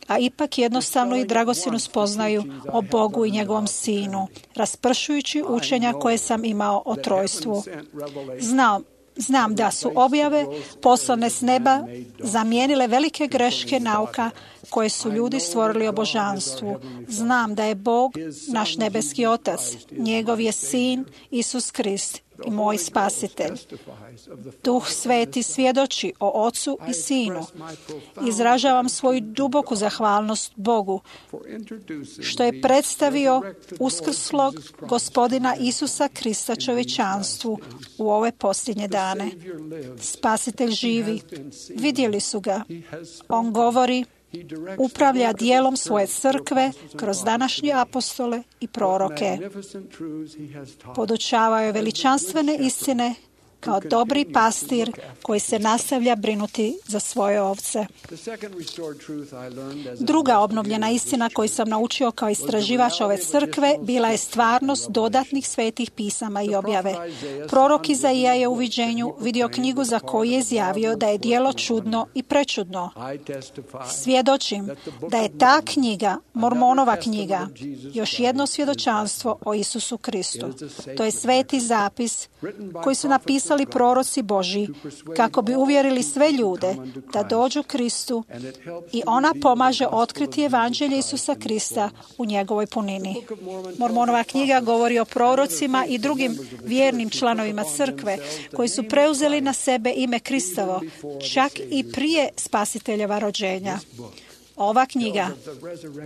a ipak jednostavnu i dragocjenu spoznaju o Bogu i njegovom sinu, raspršujući učenja koje sam imao o trojstvu. Znam da su objave poslane s neba zamijenile velike greške nauka koje su ljudi stvorili o božanstvu. Znam da je Bog naš nebeski Otac, njegov je sin Isus Krist i moj spasitelj. Duh Sveti svjedoči o Ocu i Sinu. Izražavam svoju duboku zahvalnost Bogu što je predstavio uskrslog Gospodina Isusa Krista čovječanstvu u ove posljednje dane. Spasitelj živi. Vidjeli su ga. On govori, upravlja dijelom svoje crkve kroz današnje apostole i proroke. Podučavao je veličanstvene istine kao dobri pastir koji se nastavlja brinuti za svoje ovce. Druga obnovljena istina koju sam naučio kao istraživač ove crkve bila je stvarnost dodatnih svetih pisama i objave. Prorok Izaija je u viđenju vidio knjigu za koju je izjavio da je djelo čudno i prečudno. Svjedočim da je ta knjiga, Mormonova knjiga, još jedno svjedočanstvo o Isusu Kristu. To je sveti zapis koji su napisali proroci Božji kako bi uvjerili sve ljude da dođu Kristu i ona pomaže otkriti evanđelje Isusa Krista u njegovoj punini. Mormonova knjiga govori o prorocima i drugim vjernim članovima crkve koji su preuzeli na sebe ime Kristovo, čak i prije spasiteljeva rođenja. Ova knjiga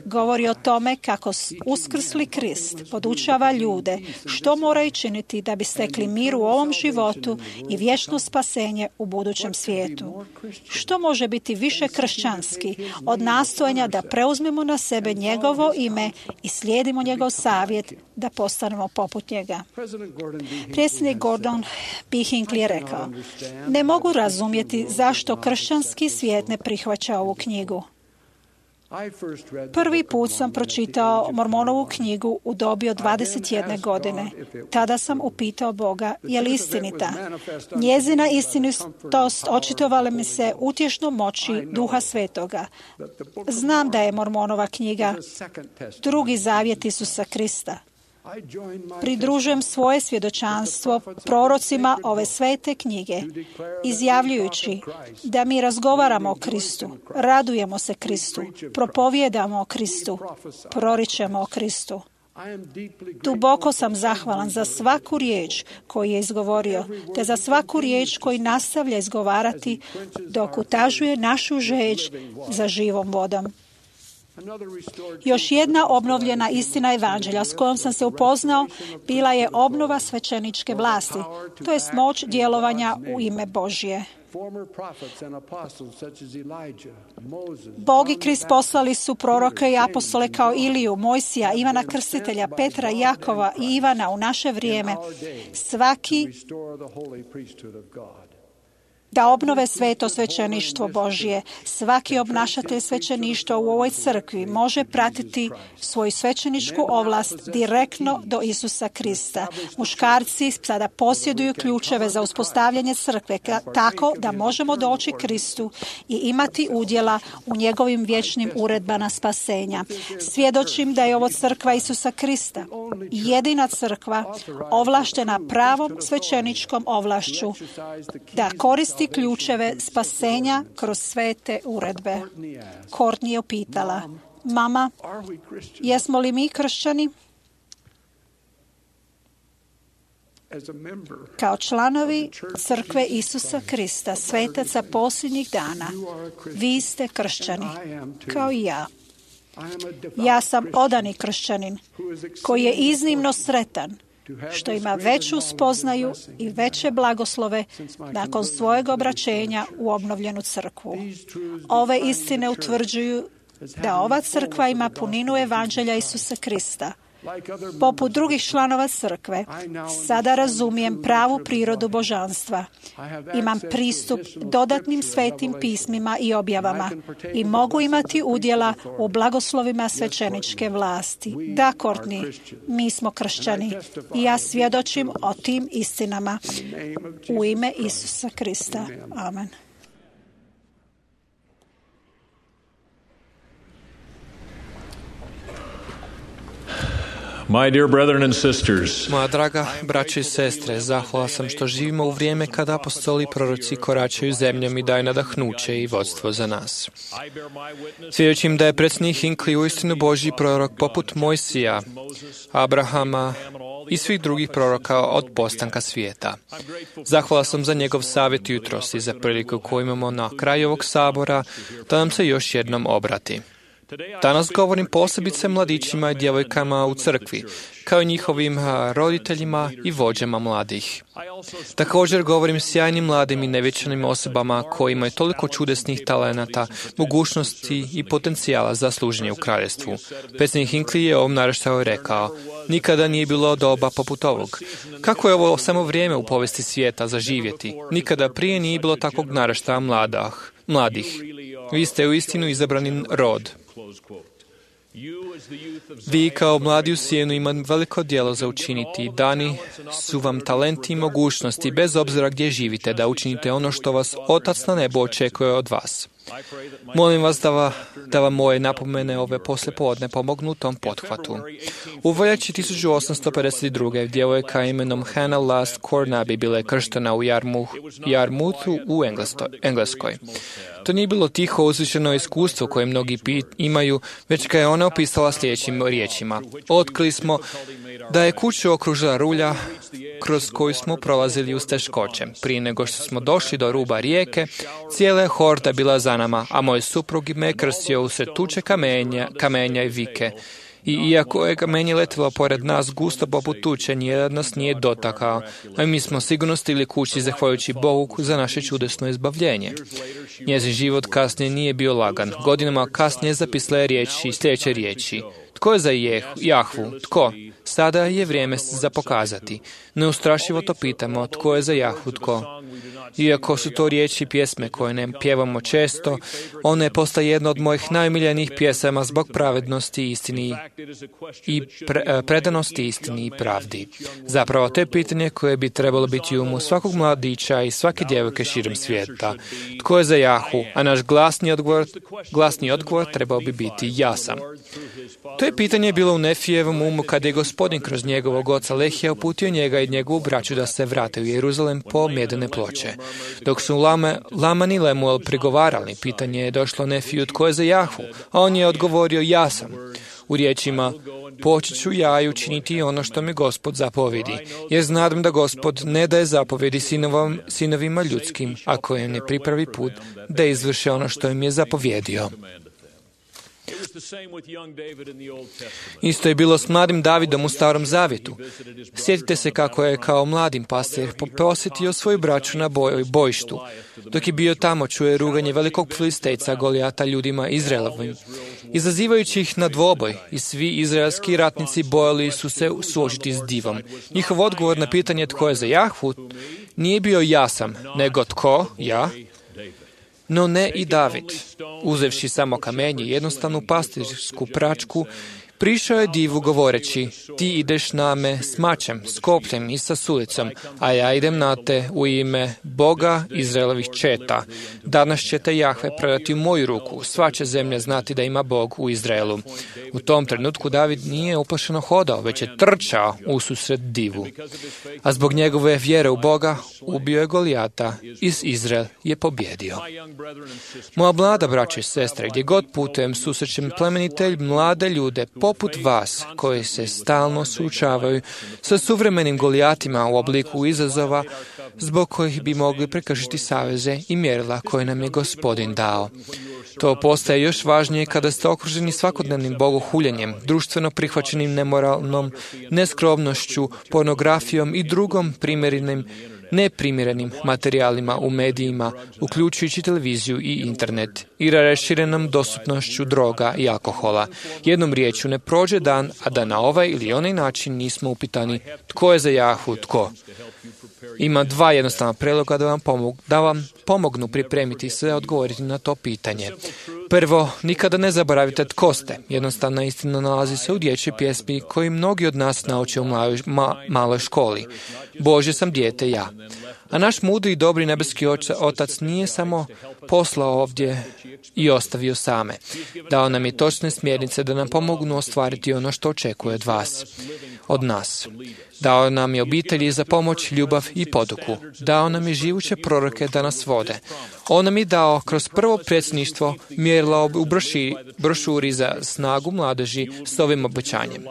govori o tome kako uskrsli Krist podučava ljude što moraju činiti da bi stekli mir u ovom životu i vječno spasenje u budućem svijetu. Što može biti više kršćanski od nastojanja da preuzmemo na sebe njegovo ime i slijedimo njegov savjet da postanemo poput njega? Predsjednik Gordon B. Hinckley je rekao, ne mogu razumjeti zašto kršćanski svijet ne prihvaća ovu knjigu. Prvi put sam pročitao Mormonovu knjigu u dobi od 21 godine. Tada sam upitao Boga, je li istinita? Njezina istinitost očitovala mi se utješnom moći Duha Svetoga. Znam da je Mormonova knjiga drugi zavjet Isusa Krista. Pridružujem svoje svjedočanstvo prorocima ove svete knjige, izjavljujući da mi razgovaramo o Kristu, radujemo se Kristu, propovijedamo o Kristu, proričemo o Kristu. Duboko sam zahvalan za svaku riječ koju je izgovorio, te za svaku riječ koju nastavlja izgovarati dok utažuje našu žeđ za živom vodom. Još jedna obnovljena istina evanđelja s kojom sam se upoznao bila je obnova svećeničke vlasti, to jest moć djelovanja u ime Božje. Bog i Krist poslali su proroke i apostole kao Iliju, Mojsija, Ivana Krstitelja, Petra, Jakova i Ivana u naše vrijeme. Svaki da obnove sveto svećeništvo Božje. Svaki obnašatelj svećeništva u ovoj crkvi može pratiti svoju svećeničku ovlast direktno do Isusa Krista. Muškarci sada posjeduju ključeve za uspostavljanje crkve tako da možemo doći Kristu i imati udjela u njegovim vječnim uredbama spasenja. Svjedočim da je ovo crkva Isusa Krista, jedina crkva ovlaštena pravom svećeničkom ovlašću da koristi ključeve spasenja kroz svete uredbe. Courtney je upitala, mama, jesmo li mi kršćani? Kao članovi crkve Isusa Krista, svetaca posljednjih dana, vi ste kršćani, kao i ja. Ja sam odani kršćanin koji je iznimno sretan što ima veću spoznaju i veće blagoslove nakon svojeg obraćenja u obnovljenu crkvu. Ove istine utvrđuju da ova crkva ima puninu evanđelja Isusa Krista, Poput drugih članova crkve, sada razumijem pravu prirodu božanstva. Imam pristup dodatnim svetim pismima i objavama i mogu imati udjela u blagoslovima svećeničke vlasti. Da, Courtney, mi smo kršćani i ja svjedočim o tim istinama u ime Isusa Krista. Amen. My dear brethren and sisters, Moja draga braćo i sestre, zahvala sam što živimo u vrijeme kada apostoli i proroci koračaju zemljom i daju nadahnuće i vodstvo za nas. Svjedočim da je predsjednik Hinckley uistinu Božji prorok poput Mojsija, Abrahama i svih drugih proroka od postanka svijeta. Zahvala sam za njegov savjet jutros i za priliku koju imamo na kraju ovog sabora da nam se još jednom obrati. Danas govorim posebice mladićima i djevojkama u crkvi, kao i njihovim roditeljima i vođama mladih. Također govorim sjajnim mladim i nevječanim osobama koji imaju toliko čudesnih talenata, mogućnosti i potencijala za služenje u kraljevstvu. Predsjednik Hinckley je ovom naraštaju rekao: nikada nije bilo doba poput ovog. Kako je ovo samo vrijeme u povijesti svijeta za živjeti? Nikada prije nije bilo takvog naraštaja mladih. Vi ste uistinu izabrani rod. Vi kao mladi u sjenu imate veliko djelo za učiniti. Dani su vam talenti i mogućnosti, bez obzira gdje živite, da učinite ono što vas Otac na nebu očekuje od vas. Molim vas da vam moje napomene ove poslijepodne pomognu u tom pothvatu. U veljači 1852. djevojka imenom Hannah Last Cornaby bila je krštena u Yarmouthu u Engleskoj. To nije bilo tiho uzvišeno iskustvo koje mnogi imaju, već ga je ona opisala sljedećim riječima. Otkrili smo da je kuću okružila rulja kroz koju smo prolazili uz teškoće. Prije nego što smo došli do ruba rijeke, cijela je horda bila za nama, a moj suprug me krstio usred tuče kamenja i vike. I iako je kamenje letilo pored nas gusto poput tuče, nijedan nas nije dotakao, a mi smo sigurno stigli kući zahvaljujući Bogu za naše čudesno izbavljenje. Njezin život kasnije nije bio lagan. Godinama kasnije zapisala je sljedeće riječi. Tko je za Jahvu? Tko? Sada je vrijeme za pokazati. Neustrašivo to pitamo, tko je za Jahvu? Tko? Iako su to riječi pjesme koje ne pjevamo često, one postaje jedna od mojih najomiljenijih pjesama zbog pravednosti, istini i predanosti istini i pravdi. Zapravo, to je pitanje koje bi trebalo biti u umu svakog mladića i svake djevojke širom svijeta. Tko je za Jahvu? A naš glasni odgovor trebao bi biti ja sam. To je pitanje bilo u Nefijevom umu kada je Gospodin kroz njegovog oca Lehija uputio njega i njegovu braću da se vrate u Jeruzalem po medene ploče. Dok su Laman i Lemuel prigovarali, pitanje je došlo Nefiju tko je za Jahvu, a on je odgovorio ja sam. U riječima, počet ću ja i učiniti ono što mi Gospod zapovjedi, jer znam da Gospod ne daje zapovjedi sinovima ljudskim, ako im ne pripravi put da izvrše ono što im je zapovjedio. Isto je bilo s mladim Davidom u Starom Zavjetu. Sjetite se kako je kao mladim pastir posjetio svoju braću na bojištu. Dok je bio tamo, čuje ruganje velikog filistejca Golijata ljudima Izraelovim, izazivajući ih na dvoboj, i svi izraelski ratnici bojali su se suočiti s divom. Njihov odgovor na pitanje tko je za Jahvu nije bio ja sam, nego tko, ja? No ne i David. Uzevši samo kamenje i jednostavnu pastirsku pračku, prišao je divu govoreći, ti ideš na me s mačem, s kopljem i sa sulicom, a ja idem na te u ime Boga Izraelovih četa. Danas ćete Jahve predati u moju ruku, sva će zemlja znati da ima Bog u Izraelu. U tom trenutku David nije uplašeno hodao, već je trčao ususret divu. A zbog njegove vjere u Boga ubio je Golijata i Izrael je pobjedio. Moja mlada braća i sestre, gdje god putujem susrećem plemenitelj mlade ljude poput vas koji se stalno suočavaju sa suvremenim Golijatima u obliku izazova zbog kojih bi mogli prekršiti saveze i mjerila koje nam je Gospodin dao. To postaje još važnije kada ste okruženi svakodnevnim bogohuljenjem, društveno prihvaćenim nemoralnom, neskromnošću, pornografijom i drugom primjerenim neprimjerenim materijalima u medijima, uključujući televiziju i internet, i raširenom dostupnošću droga i alkohola. Jednom riječju, ne prođe dan, a da na ovaj ili onaj način nismo upitani tko je za Jahu, tko. Ima 2 jednostavna prijedloga da vam pomognu pripremiti se odgovoriti na to pitanje. Prvo, nikada ne zaboravite tko ste. Jednostavna istina nalazi se u dječjoj pjesmi koju mnogi od nas nauče u maloj školi. Bože sam dijete ja. A naš mudri i dobri nebeski otac nije samo poslao ovdje i ostavio same. Dao nam je točne smjernice da nam pomognu ostvariti ono što očekuje od vas, od nas. Dao nam je obitelji za pomoć, ljubav i poduku. Dao nam je živuće proroke da nas vode. On nam je dao kroz prvo predsjedništvo mjerila u brošuri za snagu mladeži s ovim obećanjem.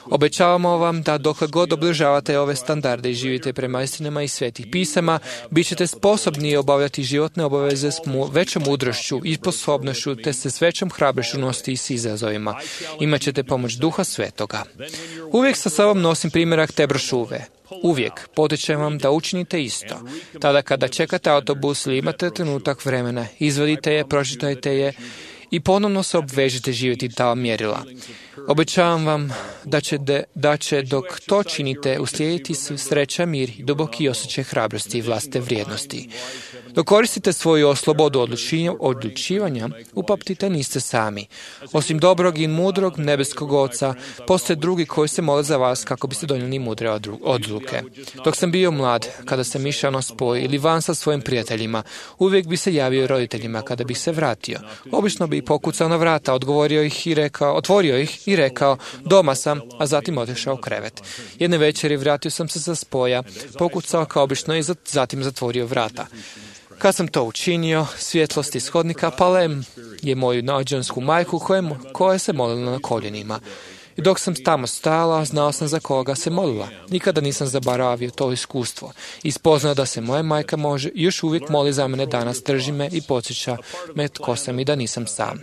Obećavamo vam da dokle god obližavate ove standarde i živite prema istinama i svetih pisama, bit ćete sposobni obavljati životne obaveze s većom mudrošću i sposobnošću, te se s većom hrabrošću nositi i s izazovima. Imaćete pomoć Duha Svetoga. Uvijek sa sobom nosim primjerak te brošure. Uvijek potičem vam da učinite isto. Tada kada čekate autobus ili imate trenutak vremena, izvadite je, pročitajte je i ponovno se obvežite živjeti ta mjerila. Obećavam vam da će dok to činite uslijediti sreća, mir i duboki osjećaj hrabrosti i vlastite vrijednosti. Dok koristite svoju slobodu odlučivanja, upamtite niste sami. Osim dobrog i mudrog nebeskog Oca, postoje drugi koji se mole za vas kako biste donijeli mudre odluke. Dok sam bio mlad, kada sam išao na spoj ili van sa svojim prijateljima, uvijek bi se javio roditeljima kada bih se vratio. Obično bi pokucao na vrata, otvorio ih i rekao, doma sam, a zatim otišao u krevet. Jedne večeri vratio sam se sa spoja, pokucao kao obično i zatim zatvorio vrata. Kad sam to učinio, svjetlost iz hodnika pale je moju nađansku majku koja se molila na koljenima. I dok sam tamo stajala, znao sam za koga se molila. Nikada nisam zaboravio to iskustvo. I spoznao da se moja majka još uvijek moli za mene danas, drži me i podsjeća me tko sam i da nisam sam.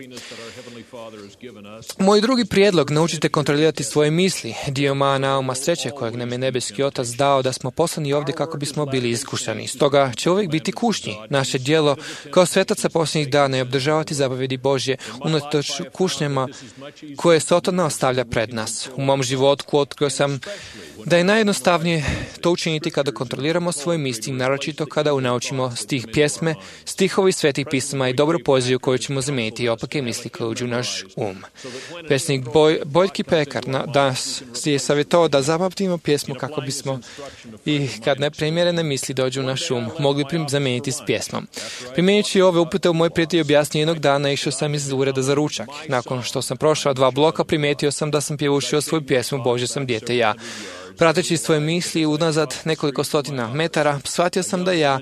Moj drugi prijedlog, naučite kontrolirati svoje misli, dio nauma sreće kojeg nam je nebeski Otac dao da smo poslani ovdje kako bismo bili iskušani. Stoga će uvijek biti kušnji. Naše djelo kao svetaca posljednjih dana je obdržavati zapovjedi Božje unatoč kušnjama koje Sotona ostavlja pred nas. U mom životu otkrio sam da je najjednostavnije to učiniti kada kontroliramo svoje misli, naročito kada naučimo stih pjesme, stihovi svetih pisama i dobru poeziju koju ćemo zamijeniti i opake misli koje uđu u naš um. Pesnik Bojki Pekar danas je savjetovao da zapamtimo pjesmu kako bismo i kad neprimjerene misli dođu u naš um, mogli zamijeniti s pjesmom. Primjenjujući ove upute u moj prijatelj objasnio jednog dana, išao sam iz ureda za ručak. Nakon što sam prošao 2 bloka, primijetio sam da sam pjevušio svoju pjesmu Bože sam dijete ja. Prateći svoje misli unazad nekoliko stotina metara, shvatio sam da ja,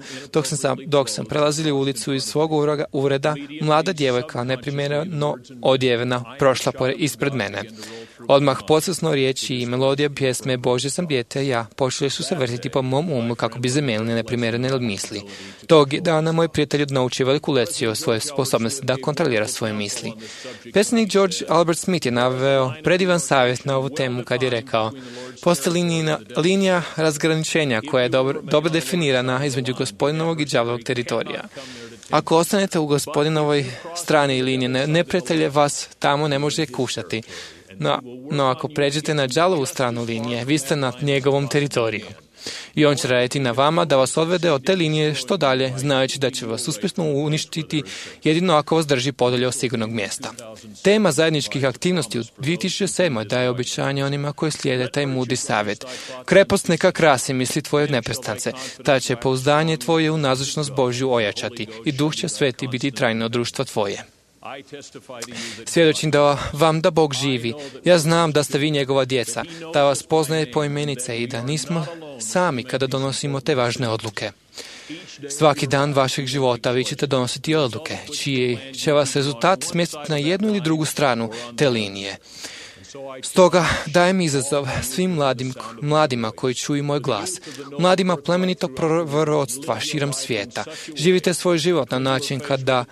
dok sam prelazili ulicu iz svog ureda, mlada djevojka, neprimjereno odjevena, prošla ispred mene. Odmah podsvjesno riječi i melodija pjesme Bože sam dijete ja počeli su se vrtiti po mom umu kako bi zamijenili neprimjerene misli. Tog dana moj prijatelj naučio veliku lekciju o svojoj sposobnosti da kontrolira svoje misli. Pesnik George Albert Smith je naveo predivan savjet na ovu temu kad je rekao: postoji linija razgraničenja koja je dobro definirana između gospodinovog i đavlovog teritorija. Ako ostanete u gospodinovoj strani linije, neprijatelj vas tamo ne može kušati. No ako pređete na đavlovu stranu linije, vi ste na njegovom teritoriju. I on će raditi na vama da vas odvede od te linije što dalje, znajući da će vas uspješno uništiti jedino ako vas drži podalje od sigurnog mjesta. Tema zajedničkih aktivnosti u 2007. daje obećanje onima koji slijede taj mudri savjet. Krepost neka krasi misli tvoje neprestance, ta će pouzdanje tvoje u nazočnost Božju ojačati i Duh će Sveti biti trajno društvo tvoje. Svjedočim da Bog živi. Ja znam da ste vi njegova djeca, da vas poznaje po imenice i da nismo sami kada donosimo te važne odluke. Svaki dan vašeg života vi ćete donositi odluke, čiji će vas rezultat smjestiti na jednu ili drugu stranu te linije. Stoga dajem izazov svim mladima koji čuju moj glas, mladima plemenitog proroцтва širom svijeta. Živite svoj život na način kada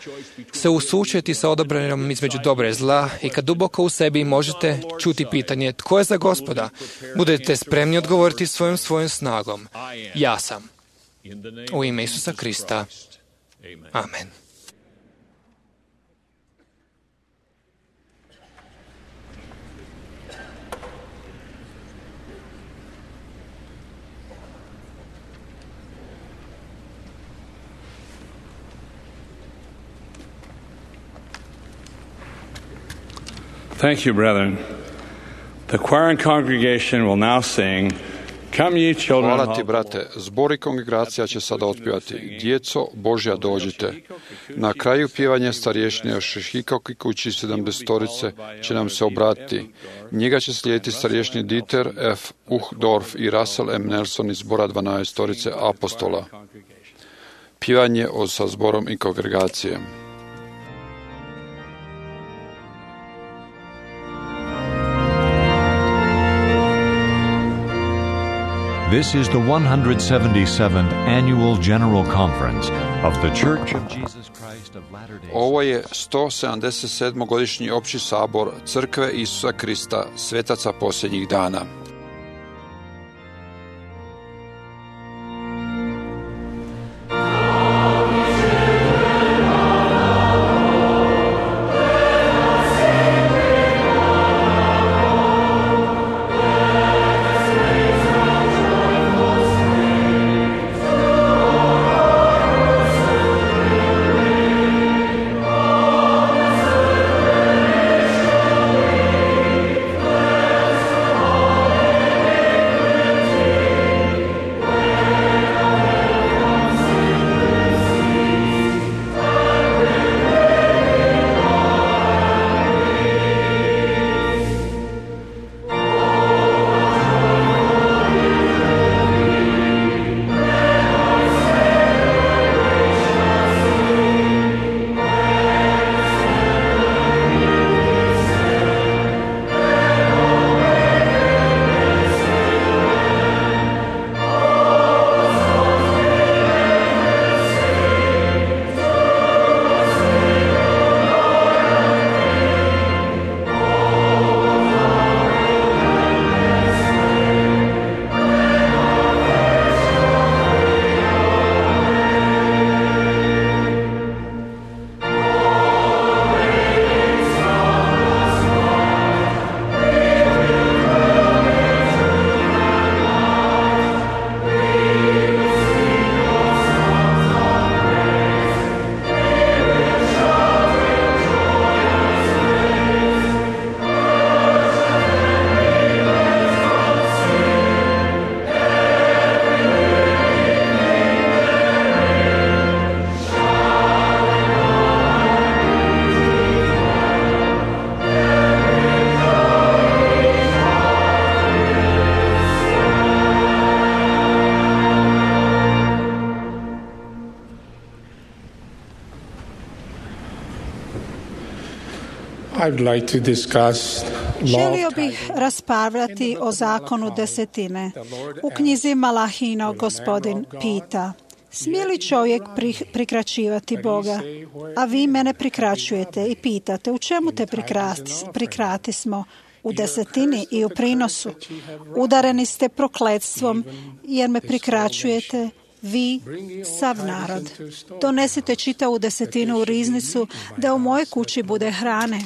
se usučujete sa odabirom između dobra i zla i kad duboko u sebi možete čuti pitanje tko je za Gospoda. Budete spremni odgovoriti svojom snagom. Ja sam. U ime Isusa Krista. Amen. Thank you, brethren. The choir and congregation will now sing, Come ye children. Hvala ti, brate. Zbor i kongregacija će sada otpjevati Djeco Božja dođite. Na kraju pjevanja starješine Šehikok i kući 70-torice će nam se obratiti. Njega će slijediti starješni Dieter F. Uchtdorf i Russell M. Nelson iz zbora 12-torice apostola. Pjevanje sa zborom i kongregacije. This is the 177th Annual General Conference of the Church of Jesus Christ of Latter-day Saints. Ovo je 177. godišnji opći sabor Crkve Isusa Krista, svetaca posljednjih dana. Želio bih raspravljati o zakonu desetine. U knjizi Malahino gospodin pita, smije li čovjek prikraćivati Boga? A vi mene prikraćujete i pitate, u čemu te prikratismo? U desetini i u prinosu. Udareni ste prokletstvom jer me prikraćujete, vi, sav narod. Donesite čitavu desetinu u riznicu da u mojoj kući bude hrane.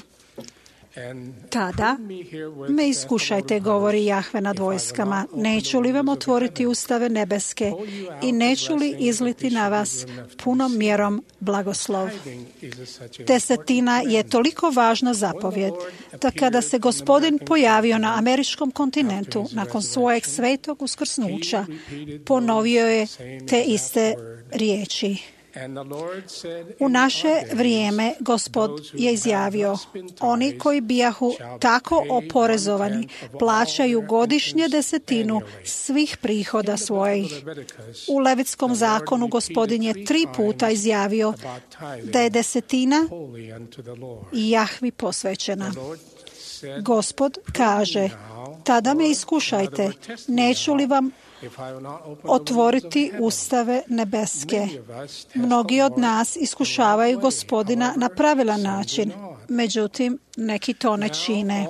Tada me iskušajte, govori Jahve nad vojskama, neću li vam otvoriti ustave nebeske i neću li izliti na vas punom mjerom blagoslov. Desetina je toliko važna zapovjed da kada se Gospodin pojavio na američkom kontinentu nakon svojeg svetog uskrsnuća, ponovio je te iste riječi. U naše vrijeme Gospod je izjavio, oni koji bijahu tako oporezovani plaćaju godišnje desetinu svih prihoda svojih. U Levitskom zakonu Gospodin je 3 puta izjavio da je desetina Jahvi posvećena. Gospod kaže, tada me iskušajte, neću li vam otvoriti ustave nebeske. Mnogi od nas iskušavaju Gospodina na pravilan način. međutim, neki to ne čine.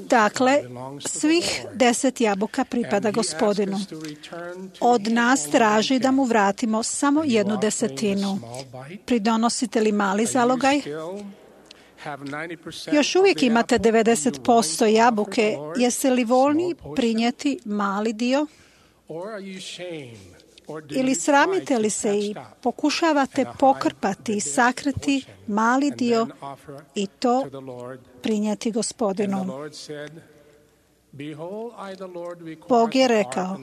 Dakle, svih 10 jabuka pripada Gospodinu. Od nas traži da mu vratimo samo 1/10. Pridonosite li mali zalogaj? Još uvijek imate 90% jabuke. Jeste li voljni prinijeti mali dio? Ili sramite li se i pokušavate pokrpati i sakriti mali dio i to prinijeti Gospodinu? Bog je rekao,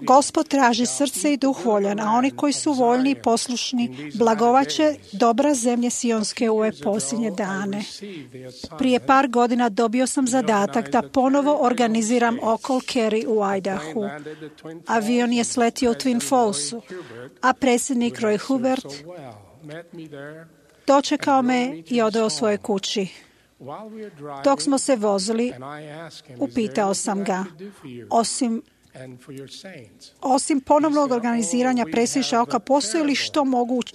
Gospod traži srce i duh voljan, a oni koji su voljni i poslušni blagovaće dobra zemlje Sionske u ove posljednje dane. Prije par godina dobio sam zadatak da ponovo organiziram okol Kerry u Idahu. Avion je sletio u Twin Fallsu, a predsjednik Roy Hubert dočekao me i odveo svojoj kući. Dok smo se vozili, upitao sam ga, osim ponovnog organiziranja predsjedništva oka, postoji li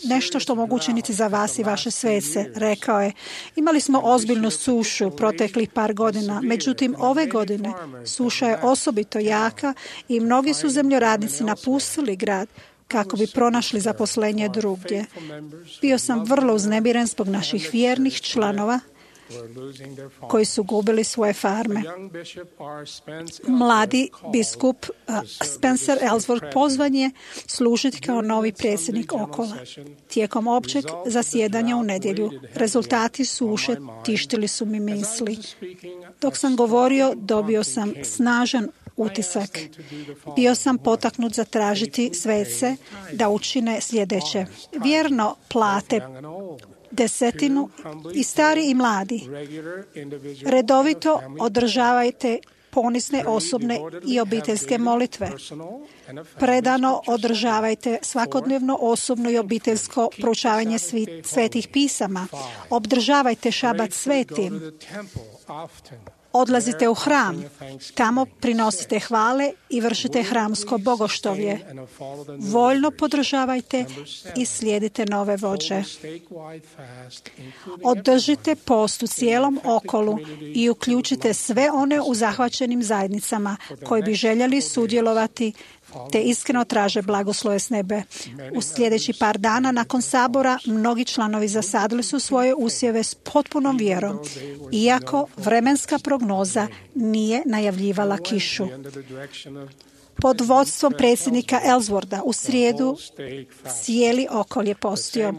nešto što mogu učiniti za vas i vaše svece? Rekao je, imali smo ozbiljnu sušu proteklih par godina, međutim ove godine suša je osobito jaka i mnogi su zemljoradnici napustili grad kako bi pronašli zaposlenje drugdje. Bio sam vrlo uznemiren zbog naših vjernih članova koji su gubili svoje farme. Mladi biskup Spencer Ellsworth pozvan je služiti kao novi predsjednik okola. Tijekom općeg zasjedanja u nedjelju rezultati suše tištili su mi misli. Dok sam govorio, dobio sam snažan utisak. Bio sam potaknut zatražiti svece da učine sljedeće. Vjerno plate 10 i stari i mladi. Redovito održavajte ponizne osobne i obiteljske molitve. Predano održavajte svakodnevno osobno i obiteljsko proučavanje svetih pisama. Obdržavajte šabat svetim. Odlazite u hram, tamo prinosite hvale i vršite hramsko bogoštovlje. Voljno podržavajte i slijedite nove vođe. Održite post u cijelom okolu i uključite sve one u zahvaćenim zajednicama koji bi željeli sudjelovati te iskreno traže blagoslove s nebe. U sljedeći par dana nakon sabora mnogi članovi zasadili su svoje usjeve s potpunom vjerom, iako vremenska prognoza nije najavljivala kišu. Pod vodstvom predsjednika Ellswortha u srijedu cijeli okol je postio.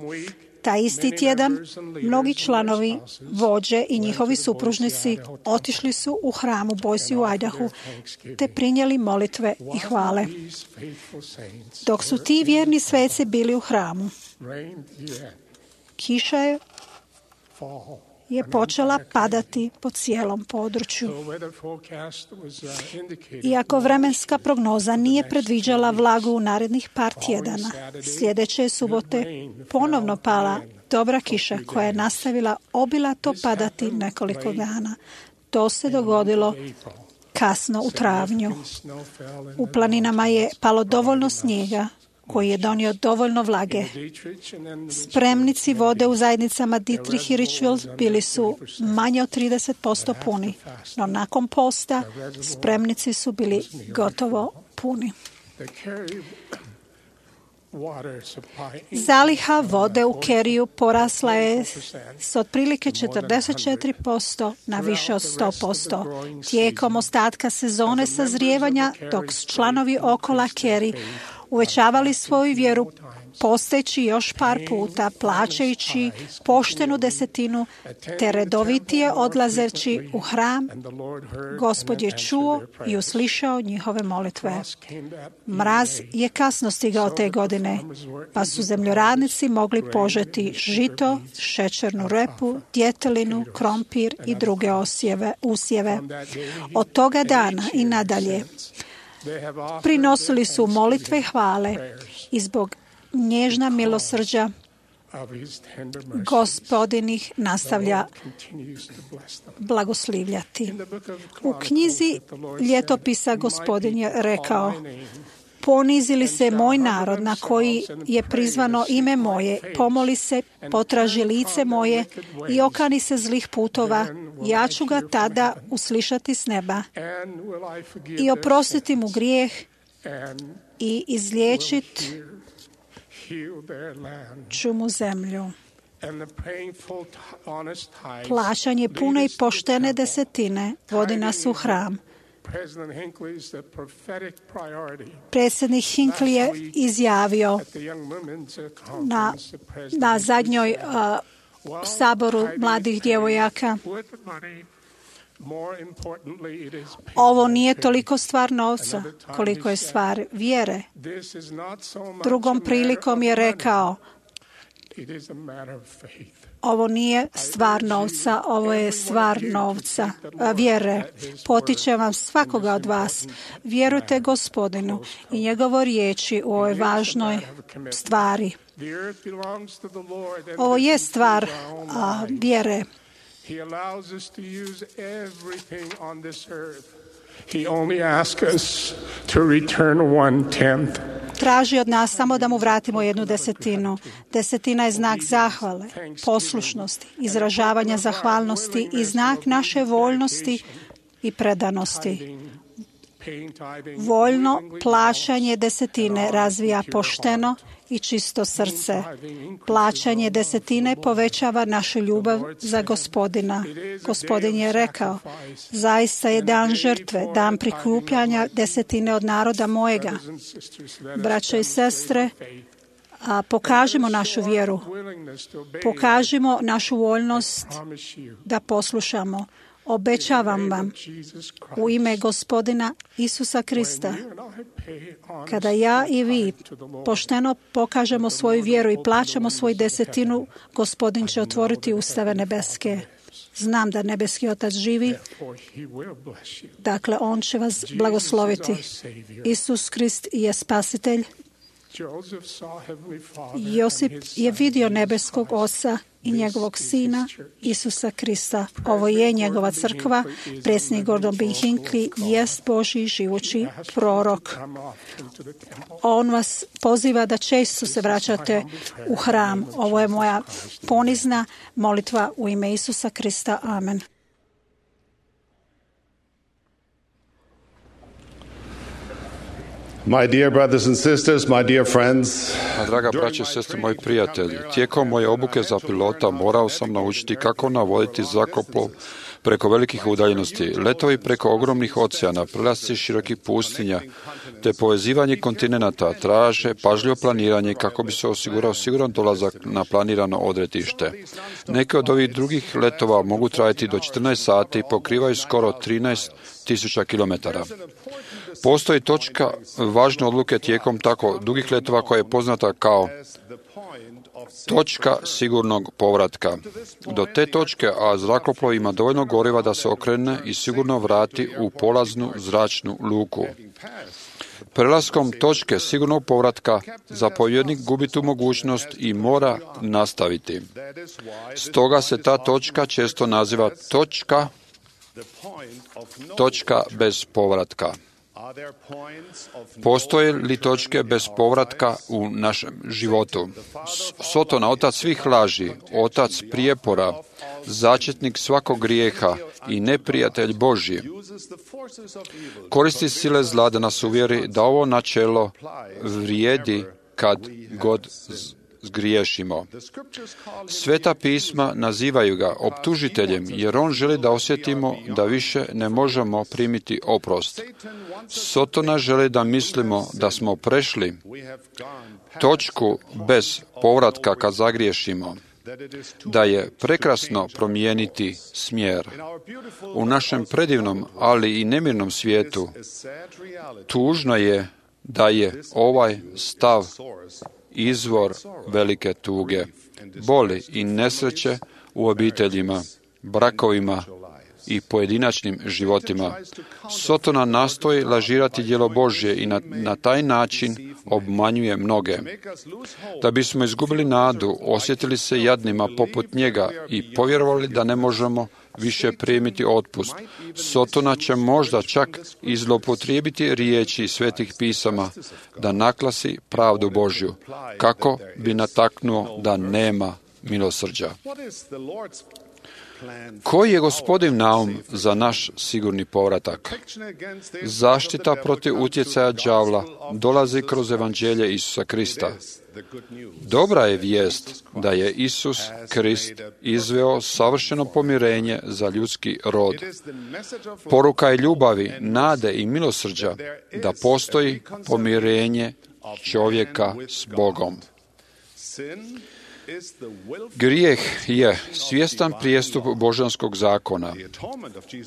Taj isti tjedan mnogi članovi, vođe i njihovi supružnici otišli su u hram u Boise u Idahu te prinijeli molitve i hvale. Dok su ti vjerni sveci bili u hramu, kiša je počela padati po cijelom području. Iako vremenska prognoza nije predviđala vlagu u narednih par tjedana, sljedeće subote ponovno pala dobra kiša koja je nastavila obilato padati nekoliko dana. To se dogodilo kasno u travnju. U planinama je palo dovoljno snijega koji je donio dovoljno vlage. Spremnici vode u zajednicama Dietrich i Richfield bili su manje od 30% puni, no nakon posta spremnici su bili gotovo puni. Zaliha vode u Kerryu porasla je s otprilike 44% na više od 100%. Tijekom ostatka sezone sazrijevanja, dok su članovi okola Kerry uvećavali svoju vjeru posteći još par puta, plaćajući poštenu 10 te redovitije odlazeći u hram, Gospod je čuo i uslišao njihove molitve. Mraz je kasno stigao te godine, pa su zemljoradnici mogli požeti žito, šećernu repu, djetelinu, krompir i druge usjeve. Od toga dana i nadalje prinosili su molitve i hvale i zbog nježna milosrđa Gospodin ih nastavlja blagoslivljati. U knjizi Ljetopisa Gospodin je rekao: Ponizi li se moj narod na koji je prizvano ime moje, pomoli se, potraži lice moje i okani se zlih putova, ja ću ga tada uslišati s neba i oprostiti mu grijeh i izliječit ću mu zemlju. Plaćanje pune i poštene desetine vodi nas u hram. Predsjednik Hinckley je izjavio na zadnjoj saboru mladih djevojaka: ovo nije toliko stvar novca koliko je stvar vjere. Drugom prilikom je rekao: ovo nije stvar novca, ovo je stvar vjere. Potičem vam svakoga od vas. Vjerujte Gospodinu i njegove riječi u ovoj važnoj stvari. Ovo je stvar vjere. Traži od nas samo da mu vratimo 1/10. Desetina je znak zahvale, poslušnosti, izražavanja zahvalnosti i znak naše voljnosti i predanosti. Voljno plaćanje desetine razvija pošteno i čisto srce. Plaćanje desetine povećava našu ljubav za Gospodina. Gospodin je rekao: zaista je dan žrtve, dan prikupljanja desetine od naroda mojega. Braćo i sestre, pokažimo našu vjeru, pokažimo našu voljnost da poslušamo. Obećavam vam u ime Gospodina Isusa Krista, kada ja i vi pošteno pokažemo svoju vjeru i plaćamo svoju desetinu, Gospodin će otvoriti ustave nebeske. Znam da nebeski Otac živi, dakle On će vas blagosloviti. Isus Krist je spasitelj. Josip je vidio nebeskog Oca i njegovog Sina Isusa Krista. Ovo je njegova crkva. Predsjednik Gordon B. Hinckley jest Božji živući prorok. On vas poziva da često se vraćate u hram. Ovo je moja ponizna molitva u ime Isusa Krista. Amen. My dear brothers and sisters, my dear friends, Draga braće i sestre, moji prijatelji, tijekom moje obuke za pilota morao sam naučiti kako navoditi zrakoplov preko velikih udaljenosti, letovi preko ogromnih oceana, prelasci širokih pustinja, te povezivanje kontinenata traže pažljivo planiranje kako bi se osigurao siguran dolazak na planirano odredište. Neke od ovih drugih letova mogu trajati do 14 sati i pokrivaju skoro 13.000 kilometara. Postoji točka važne odluke tijekom tako dugih letova koja je poznata kao točka sigurnog povratka. Do te točke, a zrakoplov ima dovoljno goriva da se okrene i sigurno vrati u polaznu zračnu luku. Prelaskom točke sigurnog povratka zapovjednik gubi tu mogućnost i mora nastaviti. Stoga se ta točka često naziva točka bez povratka. Postoje li točke bez povratka u našem životu? Sotona, otac svih laži, otac prijepora, začetnik svakog grijeha i neprijatelj Božji, koristi sile zla da nas uvjeri da ovo načelo vrijedi kad god zgriješimo. Sveta pisma nazivaju ga optužiteljem, jer on želi da osjetimo da više ne možemo primiti oprost. Sotona želi da mislimo da smo prešli točku bez povratka kad zagriješimo, da je prekrasno promijeniti smjer. U našem predivnom, ali i nemirnom svijetu, tužno je da je ovaj stav izvor velike tuge, boli i nesreće u obiteljima, brakovima i pojedinačnim životima. Sotona nastoji lažirati djelo Božje i na taj način obmanjuje mnoge. Da bismo izgubili nadu, osjetili se jadnima poput njega i povjerovali da ne možemo više primiti otpust. Sotona će možda čak i zloupotrijebiti riječi svetih pisama da naklasi pravdu Božju, kako bi nataknuo da nema milosrđa. Koji je Gospodin naum za naš sigurni povratak? Zaštita protiv utjecaja đavla dolazi kroz evanđelje Isusa Krista. Dobra je vijest da je Isus Krist izveo savršeno pomirenje za ljudski rod. Poruka je ljubavi, nade i milosrđa da postoji pomirenje čovjeka s Bogom. Grijeh je svjestan prijestup božanskog zakona.